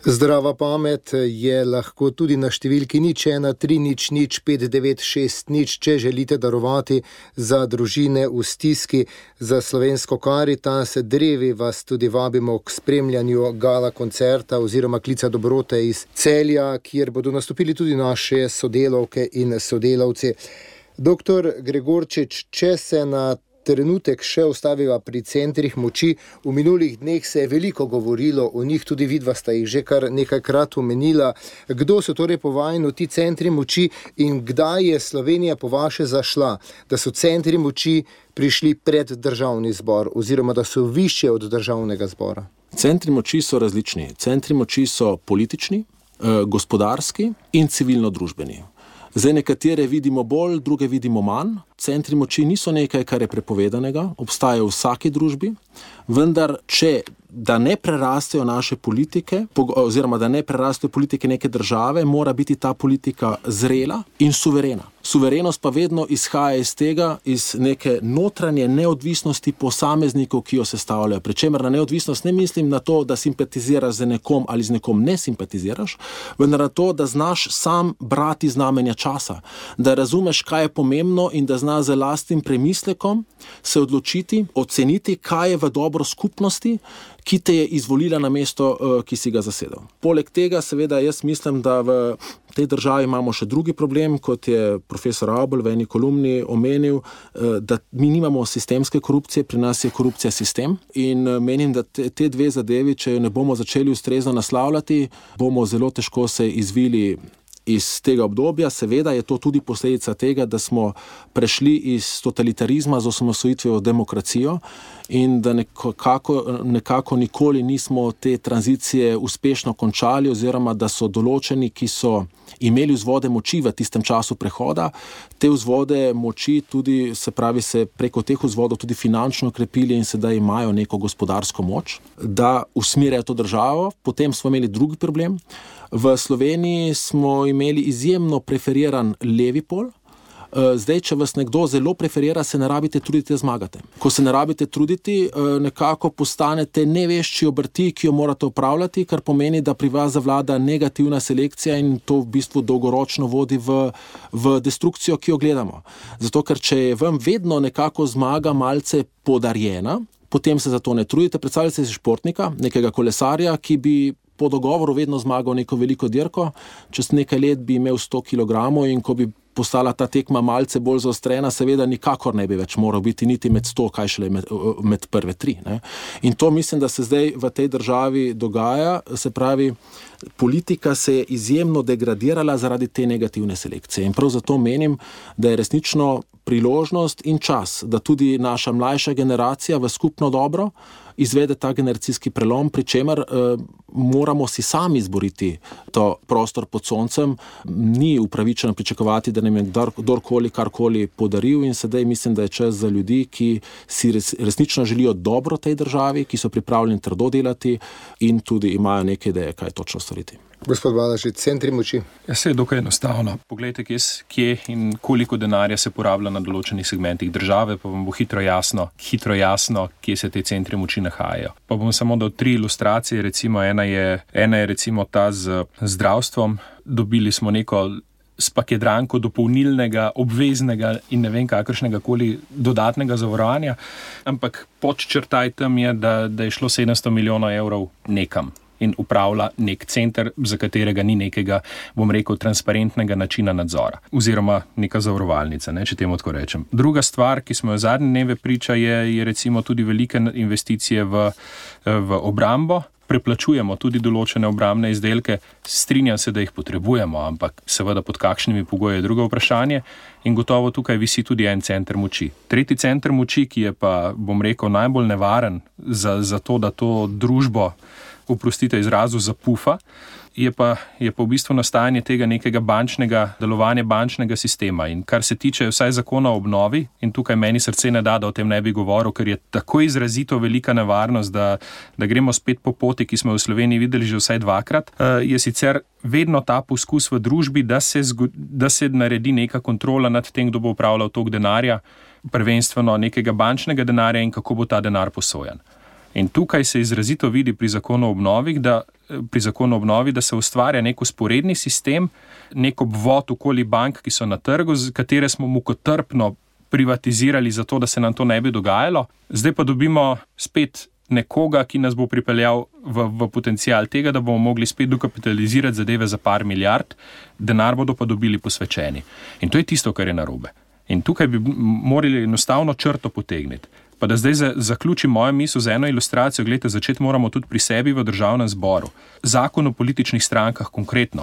Zdrava pamet je lahko tudi na številki 013 00 5960, če želite darovati za družine v stiski, za Slovensko Karitas. Drevi vas tudi vabimo k spremljanju gala koncerta oziroma klica dobrote iz Celja, kjer bodo nastopili tudi naše sodelavke in sodelavci. Doktor Gregorčič, če se na trenutek še ostaviva pri centrih moči. V minulih dneh se je veliko govorilo o njih, tudi vidva sta jih že kar nekajkrat omenila. Kdo so torej po vajinu ti centri moči in kdaj je Slovenija po vaše zašla, da so centri moči prišli pred državni zbor oziroma da so višje od državnega zbora? Centri moči so različni. Centri moči so politični, gospodarski in civilno-družbeni. Zdaj nekatere vidimo bolj, druge vidimo manj. Centri moči niso nekaj, kar je prepovedanega, obstajajo v vsaki družbi, vendar da ne prerastejo naše politike, oziroma da ne prerastejo politike neke države, mora biti ta politika zrela in suverena. Suverenost pa vedno izhaja iz tega, iz neke notranje neodvisnosti posameznikov, ki jo sestavljajo. Pričemer na neodvisnost ne mislim na to, da simpatiziraš z nekom ali z nekom ne simpatiziraš, vendar na to, da znaš sam brati znamenja časa, da razumeš, kaj je pomembno in da znaš z lastnim premislekom se odločiti, oceniti, kaj je v dobro skupnosti, ki te je izvolila na mesto, ki si ga zasedel. Poleg tega, seveda, jaz mislim, da v tej državi imamo še drugi problem, kot je profesor Avbelj v eni kolumni omenil, da mi nimamo sistemske korupcije, pri nas je korupcija sistem in menim, da te dve zadevi, če jo ne bomo začeli ustrezno naslavljati, bomo zelo težko se izvili iz tega obdobja. Seveda je to tudi posledica tega, da smo prešli iz totalitarizma z osamosvojitvijo v demokracijo in da nekako nikoli nismo te tranzicije uspešno končali oziroma da so določeni, ki so imeli vzvode moči v tistem času prehoda, te vzvode moči tudi, se pravi, se preko teh vzvodov tudi finančno krepili in sedaj imajo neko gospodarsko moč, da usmerjajo to državo. Potem smo imeli drugi problem. V Sloveniji smo imeli izjemno preferiran levi pol. Zdaj, če vas nekdo zelo preferira, se ne rabite truditi, da zmagate. Ko se ne rabite truditi, nekako postanete nevešči obrti, ki jo morate upravljati, kar pomeni, da pri vas zavlada negativna selekcija in to v bistvu dolgoročno vodi v destrukcijo, ki jo gledamo. Zato, ker če je vam vedno nekako zmaga malce podarjena, potem se za to ne trudite. Predstavljate si športnika, nekega kolesarja, ki bi po dogovoru vedno zmagal neko veliko dirko, čez nekaj let bi imel 100 kg in ko bi postala ta tekma malce bolj zaostrena, seveda nikakor ne bi več moral biti niti med 100, kaj šele med prve 3. Ne? In to mislim, da se zdaj v tej državi dogaja, se pravi, politika se je izjemno degradirala zaradi te negativne selekcije. In prav zato menim, da je resnično priložnost in čas, da tudi naša mlajša generacija v skupno dobro izvede ta generacijski prelom, pri čemer moramo si sami izboriti to prostor pod soncem. Ni upravičeno pričakovati, da nam je kdorkoli karkoli podaril in sedaj mislim, da je čas za ljudi, ki si resnično želijo dobro tej državi, ki so pripravljeni trdo delati in tudi imajo neke ideje, kaj točno storiti. Gospod Balažič, centri moči. Ja, se je dokaj enostavno. Poglejte, kje in koliko denarja se porablja na določenih segmentih države, pa vam bo hitro jasno, kje se te centri moči nahajajo. Pa bom samo dal 3 ilustracije, recimo ena je recimo ta z zdravstvom. Dobili smo neko spakedranko dopolnilnega, obveznega in ne vem kakršnega koli dodatnega zavarovanja, ampak podčrtaj tam je, da je šlo 700 milijonov evrov nekam in upravlja nek center, za katerega ni nekega, bom rekel, transparentnega načina nadzora. Oziroma neka zavarovalnica, če temu tako rečem. Druga stvar, ki smo jo zadnje dneve priča, je recimo tudi velike investicije v obrambo. Preplačujemo tudi določene obrambne izdelke. Strinjam se, da jih potrebujemo, ampak seveda pod kakšnimi pogoji je drugo vprašanje. In gotovo tukaj visi tudi en center moči. Tretji center moči, ki je pa, bom rekel, najbolj nevaren za to, da to družbo, oprostite izrazu, zapufa, je pa v bistvu nastajanje tega nekega delovanja bančnega sistema. In kar se tiče vsaj zakona o obnovi, in tukaj meni srce ne da o tem ne bi govoril, ker je tako izrazito velika nevarnost, da gremo spet po poti, ki smo v Sloveniji videli že vsaj dvakrat, je sicer vedno ta poskus v družbi, da se naredi neka kontrola nad tem, kdo bo upravljal tok denarja, prvenstveno nekega bančnega denarja in kako bo ta denar posojan. In tukaj se izrazito vidi pri zakonu o obnovi, da se ustvarja nek usporedni sistem, nek obvod okoli bank, ki so na trgu, katere smo mukotrpno privatizirali zato, da se nam to ne bi dogajalo. Zdaj pa dobimo spet nekoga, ki nas bo pripeljal v potencial tega, da bomo mogli spet dokapitalizirati zadeve za par milijard, denar bodo pa dobili posvečeni. In to je tisto, kar je narobe. In tukaj bi morali enostavno črto potegniti. Pa da zdaj zaključim mojo misel z eno ilustracijo, gledajte, začeti moramo tudi pri sebi v Državnem zboru. Zakon o političnih strankah konkretno.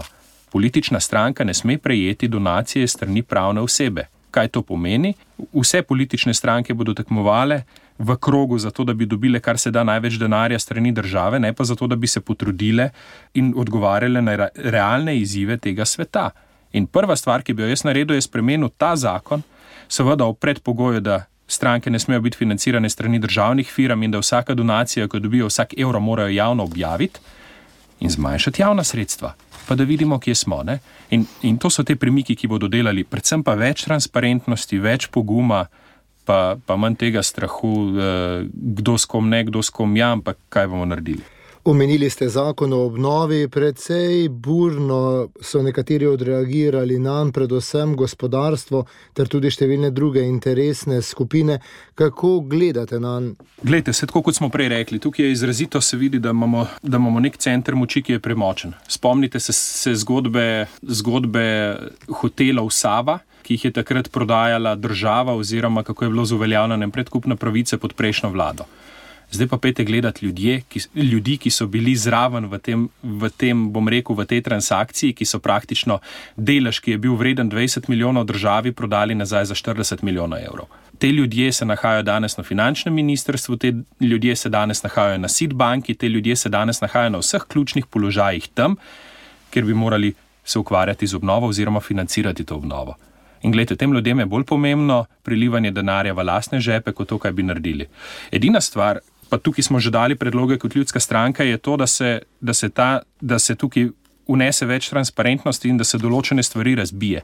Politična stranka ne sme prejeti donacije strani pravne osebe. Kaj to pomeni? Vse politične stranke bodo tekmovale v krogu zato, da bi dobile kar se da največ denarja strani države, ne pa zato, da bi se potrudile in odgovarjale na realne izzive tega sveta. In prva stvar, ki bi jo jaz naredil, je spremenil ta zakon, seveda ob predpogoju, da stranke ne smejo biti financirane strani državnih firm in da vsaka donacija, ko dobijo vsak evro, morajo javno objaviti in zmanjšati javna sredstva, pa da vidimo, kje smo. Ne? In to so te premiki, ki bodo delali, predvsem pa več transparentnosti, več poguma, pa manj tega strahu, kdo s kom ne, kdo s kom ja, ampak kaj bomo naredili. Omenili ste zakon o obnovi, precej burno so nekateri odreagirali nanj, predvsem gospodarstvo, ter tudi številne druge interesne skupine. Kako gledate nanj? Glejte, tako kot smo prej rekli, tukaj je izrazito se vidi, da imamo nek center moči, ki je premočen. Spomnite se zgodbe hotelov Sava, ki jih je takrat prodajala država oziroma kako je bilo z uveljavljanjem predkupne pravice pod prejšnjo vlado. Zdaj pa pejte gledati ljudi, ki so bili zraven v tem, bom rekel, v tej transakciji, ki so praktično delež, ki je bil vreden 20 milijonov državi, prodali nazaj za 40 milijonov evrov. Te ljudje se nahajajo danes na finančnem ministrstvu, te ljudje se danes nahajajo na SID banki, te ljudje se danes nahajajo na vseh ključnih položajih tam, kjer bi morali se ukvarjati z obnovo oziroma financirati to obnovo. In gledajte, tem ljudem je bolj pomembno prilivanje denarja v lastne žepe, kot to, kaj bi naredili. Edina stvar, pa tukaj smo že dali predloge kot ljudska stranka, je to, da se tukaj unese več transparentnosti in da se določene stvari razbije.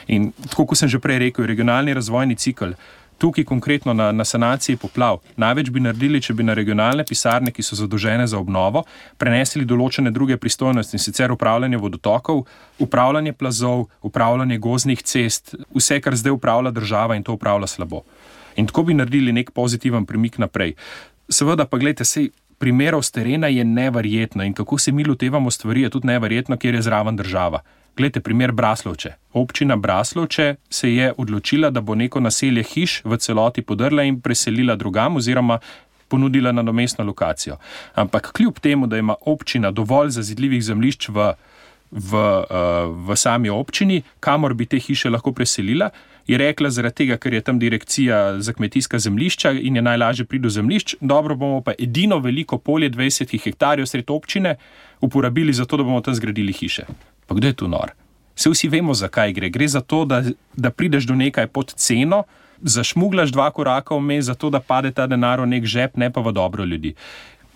In tako, kot sem že prej rekel, regionalni razvojni cikel, tukaj konkretno na sanaciji poplav, največ bi naredili, če bi na regionalne pisarne, ki so zadolžene za obnovo, prenesli določene druge pristojnosti, in sicer upravljanje vodotokov, upravljanje plazov, upravljanje gozdnih cest, vse, kar zdaj upravlja država in to upravlja slabo. In tako bi naredili nek pozitiven premik naprej. Seveda pa gledajte, sej primerov z terena je neverjetno in kako se mi lotevamo stvari je tudi neverjetno, kjer je zraven država. Glejte, primer Braslovče. Občina Braslovče se je odločila, da bo neko naselje hiš v celoti podrla in preselila drugam oziroma ponudila nadomestno lokacijo. Ampak kljub temu, da ima občina dovolj zazidljivih zemljišč v sami občini, kamor bi te hiše lahko preselila, je rekla zaradi tega, ker je tam direkcija za kmetijska zemljišča in je najlažje priti do zemljišč, dobro bomo pa edino veliko polje 20 hektarjev sred občine uporabili za to, da bomo tam zgradili hiše. Pa kdo je tu nor? Se vsi vemo, zakaj gre. Gre za to, da prideš do nekaj pod ceno, zašmuglaš 2 koraka vmes, zato da pade ta denar v nek žep, ne pa v dobro ljudi.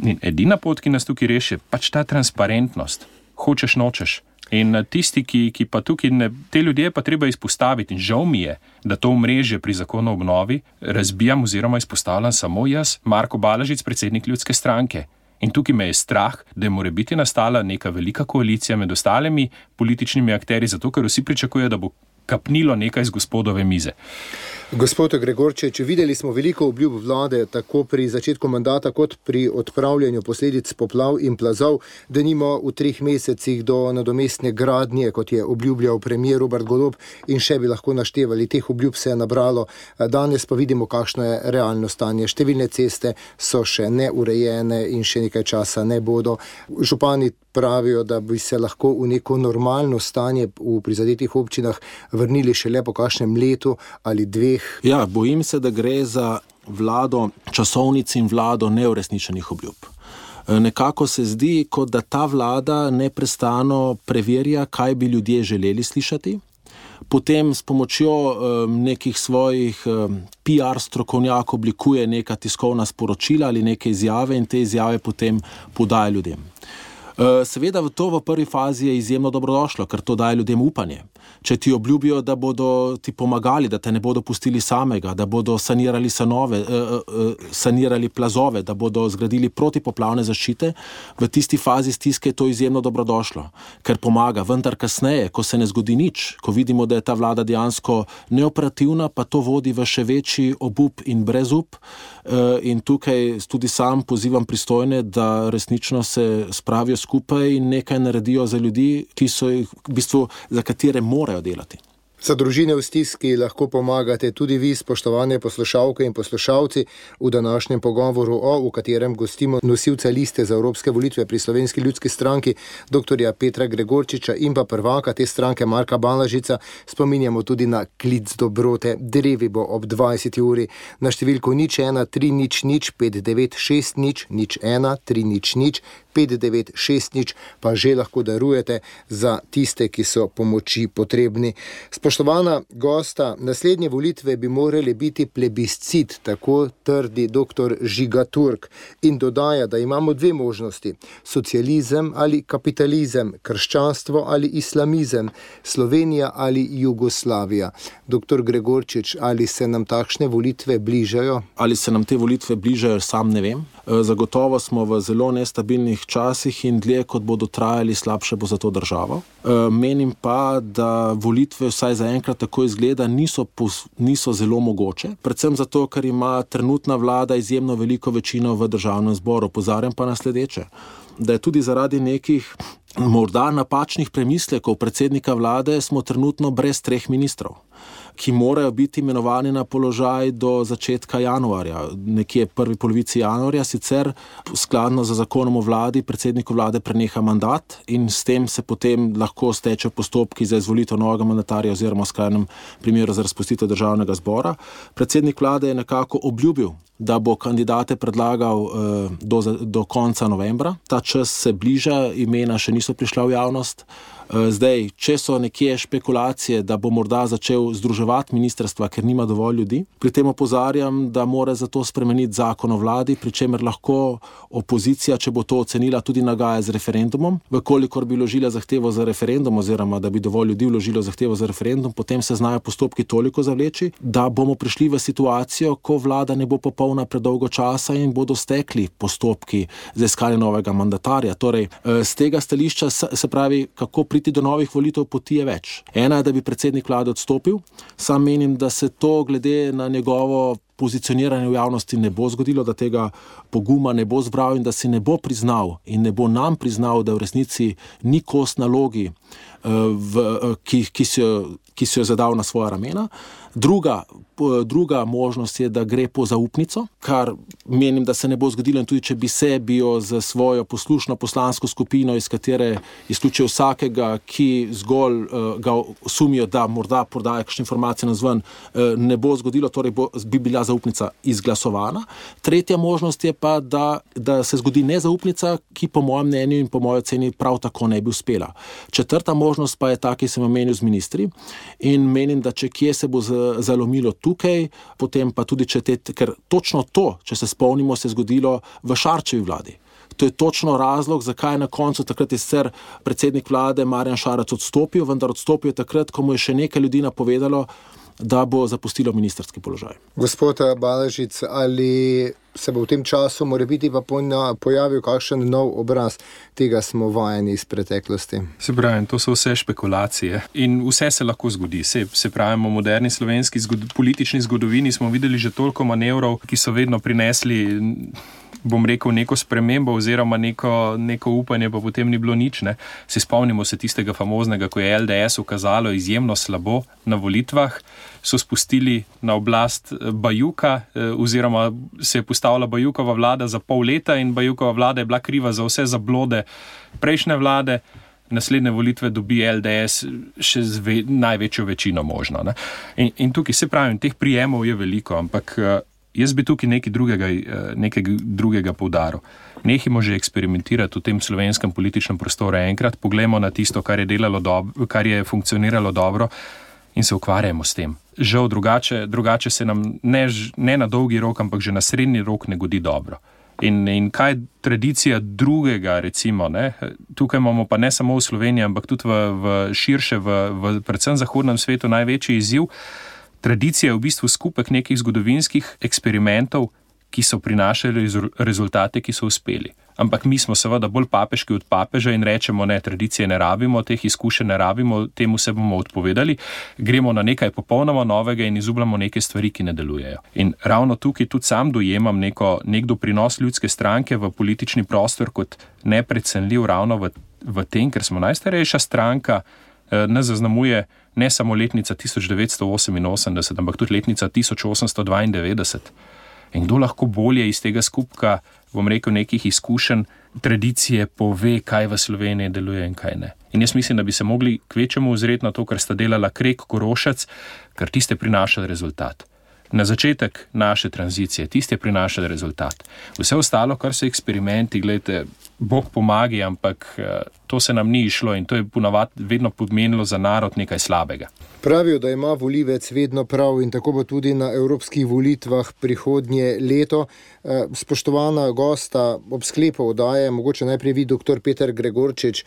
In edina pot, ki nas tukaj reši, je pač ta transparentnost. Hočeš, nočeš. In tisti, ki pa tukaj, te ljudje pa treba izpostaviti in žal mi je, da to omrežje pri zakonu o obnovi razbijam oziroma izpostavljam samo jaz, Marko Balažič, predsednik ljudske stranke. In tukaj me je strah, da je morebiti nastala neka velika koalicija med ostalimi političnimi akterji, zato ker vsi pričakujejo, da bo kapnilo nekaj z gospodove mize. Gospod Gregorčič, videli smo veliko obljub vlade, tako pri začetku mandata, kot pri odpravljanju posledic poplav in plazov, denimo v 3 mesecih do nadomestne gradnje, kot je obljubljal premier Robert Golob, in še bi lahko naštevali. Teh obljub se je nabralo. Danes pa vidimo, kakšno je realno stanje. Številne ceste so še neurejene in še nekaj časa ne bodo. Župani pravijo, da bi se lahko v neko normalno stanje v prizadetih občinah vrnili šele po kakšnem letu ali 2. Ja, bojim se, da gre za vlado časovnic in vlado neuresničenih obljub. Nekako se zdi, kot da ta vlada neprestano preverja, kaj bi ljudje želeli slišati. Potem s pomočjo nekih svojih PR strokovnjakov oblikuje neka tiskovna sporočila ali neke izjave in te izjave potem podaja ljudem. Seveda to v prvi fazi je izjemno dobrodošlo, ker to daje ljudem upanje. Če ti obljubijo, da bodo ti pomagali, da te ne bodo pustili samega, da bodo sanirali plazove, da bodo zgradili protipoplavne zaščite, v tisti fazi stiske je to izjemno dobrodošlo, ker pomaga. Vendar kasneje, ko se ne zgodi nič, ko vidimo, da je ta vlada dejansko neoperativna, pa to vodi v še večji obup in brezup. In tukaj tudi sam pozivam pristojne, da resnično se spravijo skupaj in nekaj naredijo za ljudi, ki so jih, v bistvu, za katere morajo delati. Za družine v stiski lahko pomagate tudi vi, spoštovane poslušalke in poslušalci, v današnjem pogovoru v katerem gostimo nosilca liste za evropske volitve pri Slovenski ljudski stranki, dr. Petra Gregorčiča in pa prvaka te stranke Marka Balažica. Spominjamo tudi na klic dobrote. Drevi bo ob 20. uri na številko 01 300 596 01 300 596, pa že lahko darujete za tiste, ki so pomoči potrebni. Spoštovana gosta, naslednje volitve bi morali biti plebiscit, tako trdi dr. Žiga Turk, in dodaja, da imamo dve možnosti: socializem ali kapitalizem, krščanstvo ali islamizem, Slovenija ali Jugoslavija. Dr. Gregorčič, ali se nam takšne volitve bližajo? Ali se nam te volitve bližajo, sam ne vem. Zagotovo smo v zelo nestabilnih časih in dlje, kot bodo trajali, slabše bo za to državo. Menim pa, da volitve vsaj zaenkrat tako izgleda niso zelo mogoče, predvsem zato, ker ima trenutna vlada izjemno veliko večino v državnem zboru. Opozarjam pa na sledeče, da je tudi zaradi nekih morda napačnih premislekov predsednika vlade smo trenutno brez 3 ministrov, ki morajo biti imenovani na položaj do začetka januarja, nekje prvi polovici januarja, sicer skladno z zakonom o vladi predsedniku vlade preneha mandat in s tem se potem lahko stečejo postopki za izvolitev novega mandatarja oziroma v skrajnem primeru za razpustitev državnega zbora. Predsednik vlade je nekako obljubil, da bo kandidate predlagal do konca novembra. Ta čas se bliža, imena še niso prišla v javnost. Zdaj, če so nekje špekulacije, da bo morda začel združevati ministrstva, ker nima dovolj ljudi, pri tem opozarjam, da mora zato spremeniti zakon o vladi, pri čemer lahko opozicija, če bo to ocenila, tudi nagaja z referendumom. Vkolikor bi vložila zahtevo za referendum oziroma da bi dovolj ljudi vložilo zahtevo za referendum, potem se znajo postopki toliko zavleči, da bomo prišli v situacijo, ko vlada ne bo popolna predolgo časa in bodo stekli postopki za iskanje novega mandatarja. Torej, z tega stališča se pravi, kako priti do novih volitev, poti je več. Ena je, da bi predsednik vlade odstopil. Sam menim, da se to glede na njegovo pozicioniranje v javnosti ne bo zgodilo, da tega poguma ne bo zbral in da si ne bo priznal in ne bo nam priznal, da v resnici ni kos nalogi, ki si jo zadal na svoja ramena. Druga možnost je, da gre po zaupnico, kar menim, da se ne bo zgodilo, in tudi če bi jo za svojo poslušno poslansko skupino, iz katere izključijo vsakega, ki zgolj ga sumijo, da morda prodaja kakšne informacije navzven, ne bo zgodilo, torej bi bila zaupnica izglasovana. Tretja možnost je pa, da se zgodi nezaupnica, ki po mojem mnenju in po moji oceni prav tako ne bi uspela. Četrta možnost pa je ta, ki sem omenil z ministri, in menim, da če kje se bo zalomilo tukaj, potem pa tudi ker točno to, če se spomnimo, se je zgodilo v Šarčevi vladi. To je točno razlog, zakaj na koncu takrat je sicer predsednik vlade Marjan Šarec odstopil, vendar odstopil je takrat, ko mu je še nekaj ljudi napovedalo, da bo zapustilo ministrski položaj. Gospod Balažic, ali se bo v tem času morebiti pa pojavil kakšen nov obraz? Tega smo vajeni iz preteklosti. Se pravi, to so vse špekulacije in vse se lahko zgodi. Se pravi, v moderni slovenski politični zgodovini smo videli že toliko manevrov, ki so vedno prinesli, bom rekel, neko spremembo oziroma neko upanje, pa potem ni bilo nič. Ne? Se spomnimo se tistega famoznega, ko je LDS ukazalo izjemno slabo na volitvah, so spustili na oblast Bajuka oziroma se je postavila Bajukova vlada za pol leta in Bajukova vlada je bila kriva za vse zablode prejšnje vlade. Naslednje volitve dobi LDS še z največjo večino možno. Ne? In tukaj se pravim, teh prijemov je veliko, ampak jaz bi tukaj nekaj drugega poudaril. Nehimo že eksperimentirati v tem slovenskem političnem prostoru enkrat, poglejmo na tisto, kar je funkcioniralo dobro in se ukvarjamo s tem. Žal drugače se nam ne na dolgi rok, ampak že na srednji rok ne godi dobro. In kaj tradicija drugega, recimo, ne? Tukaj imamo pa ne samo v Sloveniji, ampak tudi v širše, v predvsem zahodnem svetu največji izziv. Tradicija je v bistvu skupek nekih zgodovinskih eksperimentov, ki so prinašali rezultate, ki so uspeli. Ampak mi smo seveda bolj papeški od papeža in rečemo, ne, tradicije ne rabimo, teh izkušenj ne rabimo, temu se bomo odpovedali, gremo na nekaj popolnoma novega in izubljamo neke stvari, ki ne delujejo. In ravno tukaj tudi sam dojemam nek doprinos Ljudske stranke v politični prostor kot neprecenljiv ravno v tem, ker smo najstarejša stranka, nas zaznamuje ne samo letnica 1988, ampak tudi letnica 1892. In kdo lahko bolje iz tega skupka, bom rekel, nekih izkušenj, tradicije pove, kaj v Sloveniji deluje in kaj ne. In jaz mislim, da bi se mogli kvečemu ozreti na to, kar sta delala Krek, Korošec, ker tiste prinašali rezultat. Na začetek naše tranzicije, tiste prinašali rezultat. Vse ostalo, kar so eksperimenti, gledajte, Bog pomagi, ampak to se nam ni išlo in to je ponavadi vedno pomenilo za narod nekaj slabega. Pravijo, da ima volivec vedno prav in tako bo tudi na evropskih volitvah prihodnje leto. Spoštovana gosta, ob sklepu oddaje, mogoče najprej vi, dr. Peter Gregorčič,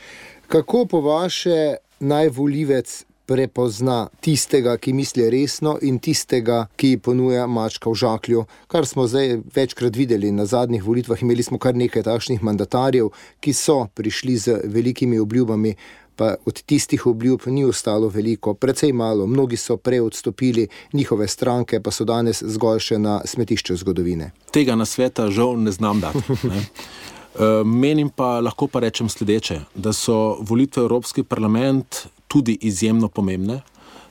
kako po vaše naj volivec prepozna tistega, ki misli resno in tistega, ki ponuja mačka v žaklju, kar smo zdaj večkrat videli na zadnjih volitvah. Imeli smo kar nekaj takšnih mandatarjev, ki so prišli z velikimi obljubami, pa od tistih obljub ni ostalo veliko, precej malo. Mnogi so prej odstopili, njihove stranke pa so danes zgolj še na smetišču zgodovine. Tega nasveta žal ne znam dati. Ne? Menim pa, lahko pa rečem sledeče, da so volitve v Evropski parlament tudi izjemno pomembne,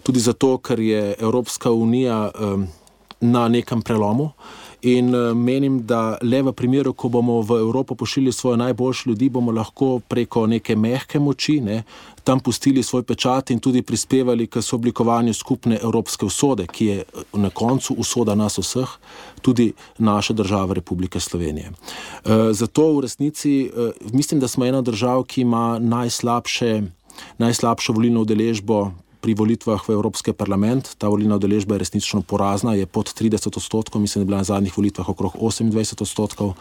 tudi zato, ker je Evropska unija na nekem prelomu in menim, da le v primeru, ko bomo v Evropo pošiljali svoje najboljše ljudi, bomo lahko preko neke mehke moči, tam pustili svoj pečat in tudi prispevali k sooblikovanju skupne evropske usode, ki je na koncu usoda nas vseh, tudi naše države Republike Slovenije. Zato v resnici mislim, da smo ena držav, ki ima najslabšo volilno udeležbo pri volitvah v Evropski parlament. Ta volilna udeležba je resnično porazna, je pod 30%, mislim, da je bila na zadnjih volitvah okrog 28%.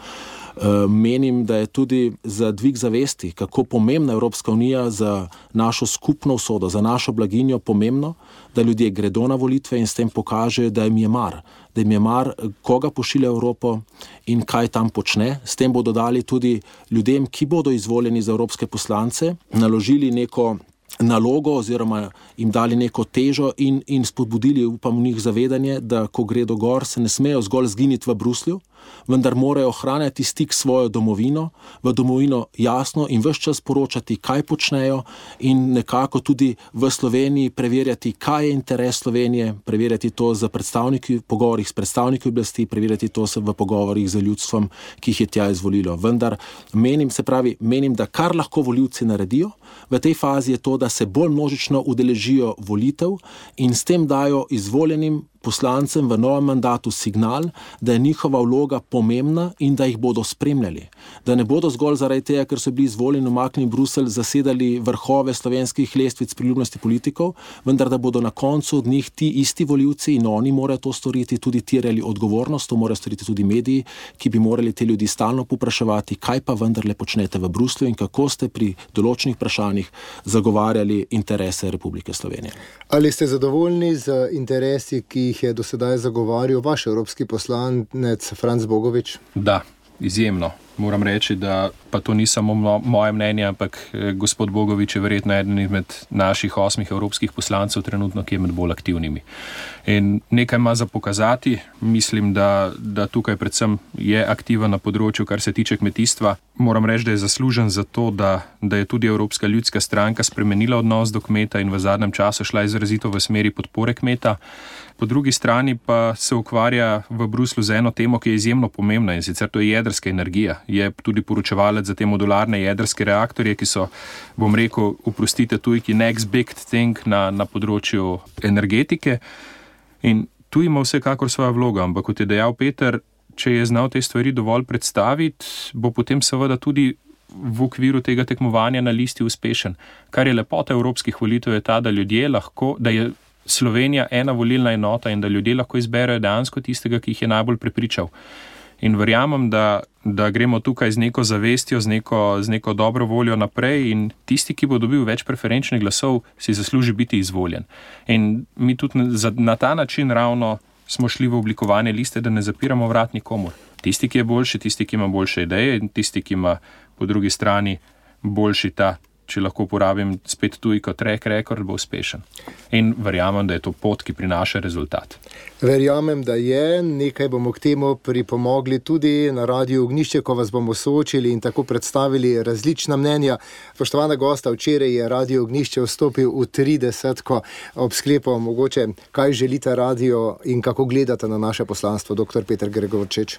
Menim, da je tudi za dvig zavesti, kako pomembna Evropska unija za našo skupno usodo, za našo blaginjo pomembno, da ljudje gredo na volitve in s tem pokaže, da jim je mar, koga pošilja Evropo in kaj tam počne. S tem bodo dali tudi ljudem, ki bodo izvoljeni za evropske poslance, naložili neko nalogo oziroma jim dali neko težo in spodbudili, upam, v njih zavedanje, da ko gredo gor, se ne smejo zgolj zginiti v Bruslju, vendar morajo ohranjati stik s svojo domovino, v domovino jasno in ves čas poročati, kaj počnejo in nekako tudi v Sloveniji preverjati, kaj je interes Slovenije, preverjati to z predstavniki, pogovorih s predstavniki oblasti, preverjati to v pogovorih z ljudstvom, ki jih je tja izvolilo. Vendar menim, da kar lahko volivci naredijo v tej fazi je to, da se bolj množično udeležijo volitev in s tem dajo izvoljenim poslancem v novem mandatu signal, da je njihova vloga pomembna in da jih bodo spremljali. Da ne bodo zgolj zaradi tega, ker so bili izvoljeni umaknjeni v Bruselj, zasedali vrhove slovenskih lestvic priljubljenosti politikov, vendar da bodo na koncu od njih ti isti volivci in oni morajo to storiti, tudi terjali odgovornost, to morajo storiti tudi mediji, ki bi morali te ljudi stalno popraševati, kaj pa vendarle počnete v Bruslju in kako ste pri določenih vprašanjih zagovarjali interese Republike Slovenije. Ali ste zadovoljni z interesi, ki jih je do sedaj zagovarjal vaš evropski poslanec Franc Bogovič? Da, izjemno. Moram reči, da pa to ni samo moje mnenje, ampak gospod Bogovič je verjetno eden izmed naših 8 evropskih poslancev trenutno, ki je med bolj aktivnimi. In nekaj ima za pokazati. Mislim, da tukaj predvsem je aktiven na področju, kar se tiče kmetijstva. Moram reči, da je zaslužen za to, da je tudi Evropska ljudska stranka spremenila odnos do kmeta in v zadnjem času šla izrazito v smeri podpore kmeta. Po drugi strani pa se ukvarja v Bruslju z eno temo, ki je izjemno pomembna in sicer to je jedrska energija. Je tudi poročevalec za te modularne jedrske reaktorje, ki so, bom rekel, oprostite tujki, next big thing na področju energetike. In Tu ima vsekakor svojo vlogo, ampak kot je dejal Peter, če je znal te stvari dovolj predstaviti, bo potem seveda tudi v okviru tega tekmovanja na listi uspešen. Kar je lepota evropskih volitev je ta, da ljudje lahko, da je Slovenija ena volilna enota in da ljudje lahko izberejo dejansko tistega, ki jih je najbolj prepričal. In verjamem, da gremo tukaj z neko zavestjo, z neko dobro voljo naprej in tisti, ki bo dobil več preferenčnih glasov, si zasluži biti izvoljen. In mi tudi na ta način ravno smo šli v oblikovanje liste, da ne zapiramo vrat nikomur. Tisti, ki je boljši, tisti, ki ima boljše ideje in tisti, ki ima po drugi strani boljši ta, če lahko uporabim spet tuj kot track record, bo uspešen. In verjamem, da je to pot, ki prinaša rezultat. Verjamem, da je. Nekaj bomo k temu pripomogli tudi na Radiu Ognjišče, ko vas bomo soočili in tako predstavili različna mnenja. Spoštovana gosta, včeraj je Radio Ognjišče vstopil v 30. ob sklepu mogoče, kaj želite radio in kako gledate na naše poslanstvo, dr. Peter Gregorčič.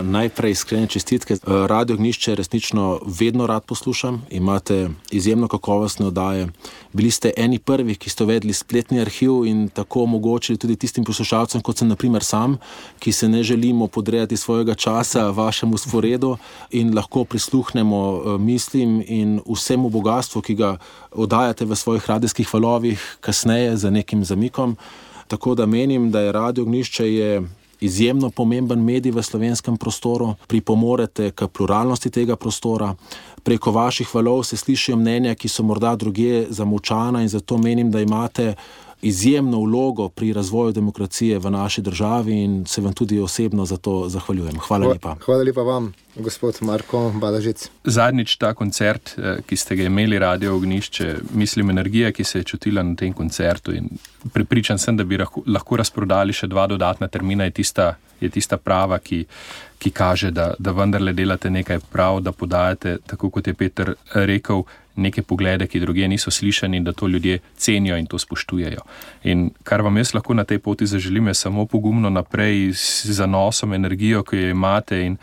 Najprej iskrene čestitke. Radio Ognjišče resnično vedno rad poslušam. Imate izjemno kakovostne oddaje. Bili ste eni prvih, ki ste uvedli spletni arhiv in tako omogočili tudi tistim poslušalcem, kot sem na primer sam, ki se ne želimo podrejati svojega časa vašemu sporedu in lahko prisluhnemo mislim in vsemu bogatstvu, ki ga oddajate v svojih radijskih valovih kasneje za nekim zamikom. Tako da menim, da je Radio Ognjišče izjemno pomemben medij v slovenskem prostoru, pripomorete k pluralnosti tega prostora. Preko vaših valov se slišijo mnenja, ki so morda drugje zamolčana in zato menim, da imate izjemno vlogo pri razvoju demokracije v naši državi in se vam tudi osebno za to zahvaljujem. Hvala lepa. Hvala lepa vam, gospod Marko Balažic. Zadnjič ta koncert, ki ste ga imeli, Radio Ognjišče, mislim energija, ki se je čutila na tem koncertu in prepričan sem, da bi lahko razprodali še 2 dodatna termina, je tista prava, ki kaže, da vendarle delate nekaj prav, da podajate, tako kot je Peter rekel, neke poglede, ki drugje niso slišani in da to ljudje cenijo in to spoštujejo. In kar vam jaz lahko na tej poti zaželim, je samo pogumno naprej z zanosom, energijo, ki jo imate in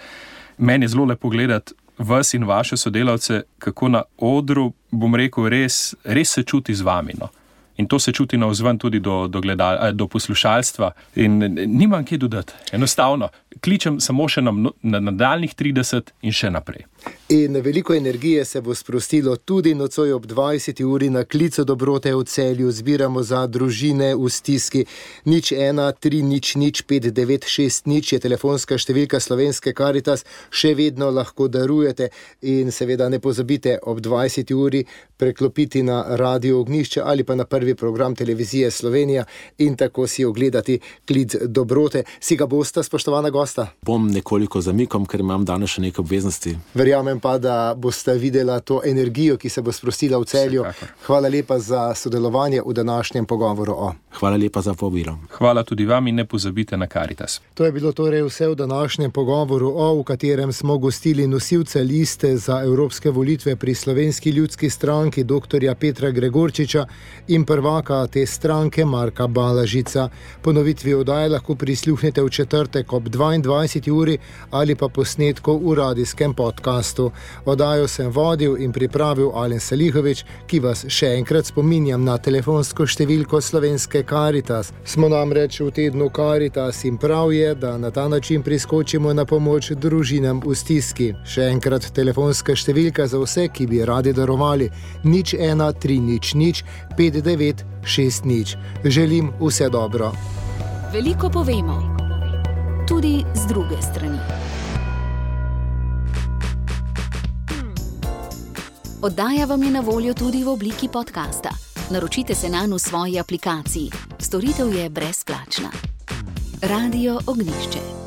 meni je zelo lepo gledati vas in vaše sodelavce, kako na odru, bom rekel, res se čuti z vami, no. In to se čuti navzven tudi do poslušalstva in nimam kaj dodati. Enostavno, kličem samo še na nadaljnjih 30 in še naprej. In veliko energije se bo sprostilo tudi nocoj ob 20. uri na klicu dobrote v Celju. Zbiramo za družine v stiski. 01 300 5960 je telefonska številka Slovenske Karitas. Še vedno lahko darujete in seveda ne pozabite ob 20. uri preklopiti na Radio Ognjišče ali pa na prvi program televizije Slovenija in tako si ogledati klic dobrote. Si ga boste, spoštovana gosta? Bom nekoliko zamikom, ker imam danes še neke obveznosti. Verjamem pa, da boste videla to energijo, ki se bo sprostila v Celju. Hvala lepa za sodelovanje v današnjem pogovoru. Hvala lepa za povabilo. Hvala tudi vam in ne pozabite na Karitas. To je bilo torej vse v današnjem pogovoru, v katerem smo gostili nosilce liste za evropske volitve pri Slovenski ljudski stranki dr. Petra Gregorčiča in prvaka te stranke Marka Balažica. Ponovitvi oddaje lahko prisluhnete v četrtek ob 22. uri ali pa posnetku v radijskem podcastu. Oddajo sem vodil in pripravil Alen Salihovič, ki vas še enkrat spominjam na telefonsko številko Slovenske Karitas. Smo namreč v tednu Karitas in prav je, da na ta način priskočimo na pomoč družinam v stiski. Še enkrat telefonska številka za vse, ki bi radi darovali. 01 300 5960. Želim vse dobro. Veliko povemo, tudi z druge strani. Oddaja vam je na voljo tudi v obliki podcasta. Naročite se nanj v svoji aplikaciji. Storitev je brezplačna. Radio Ognjišče.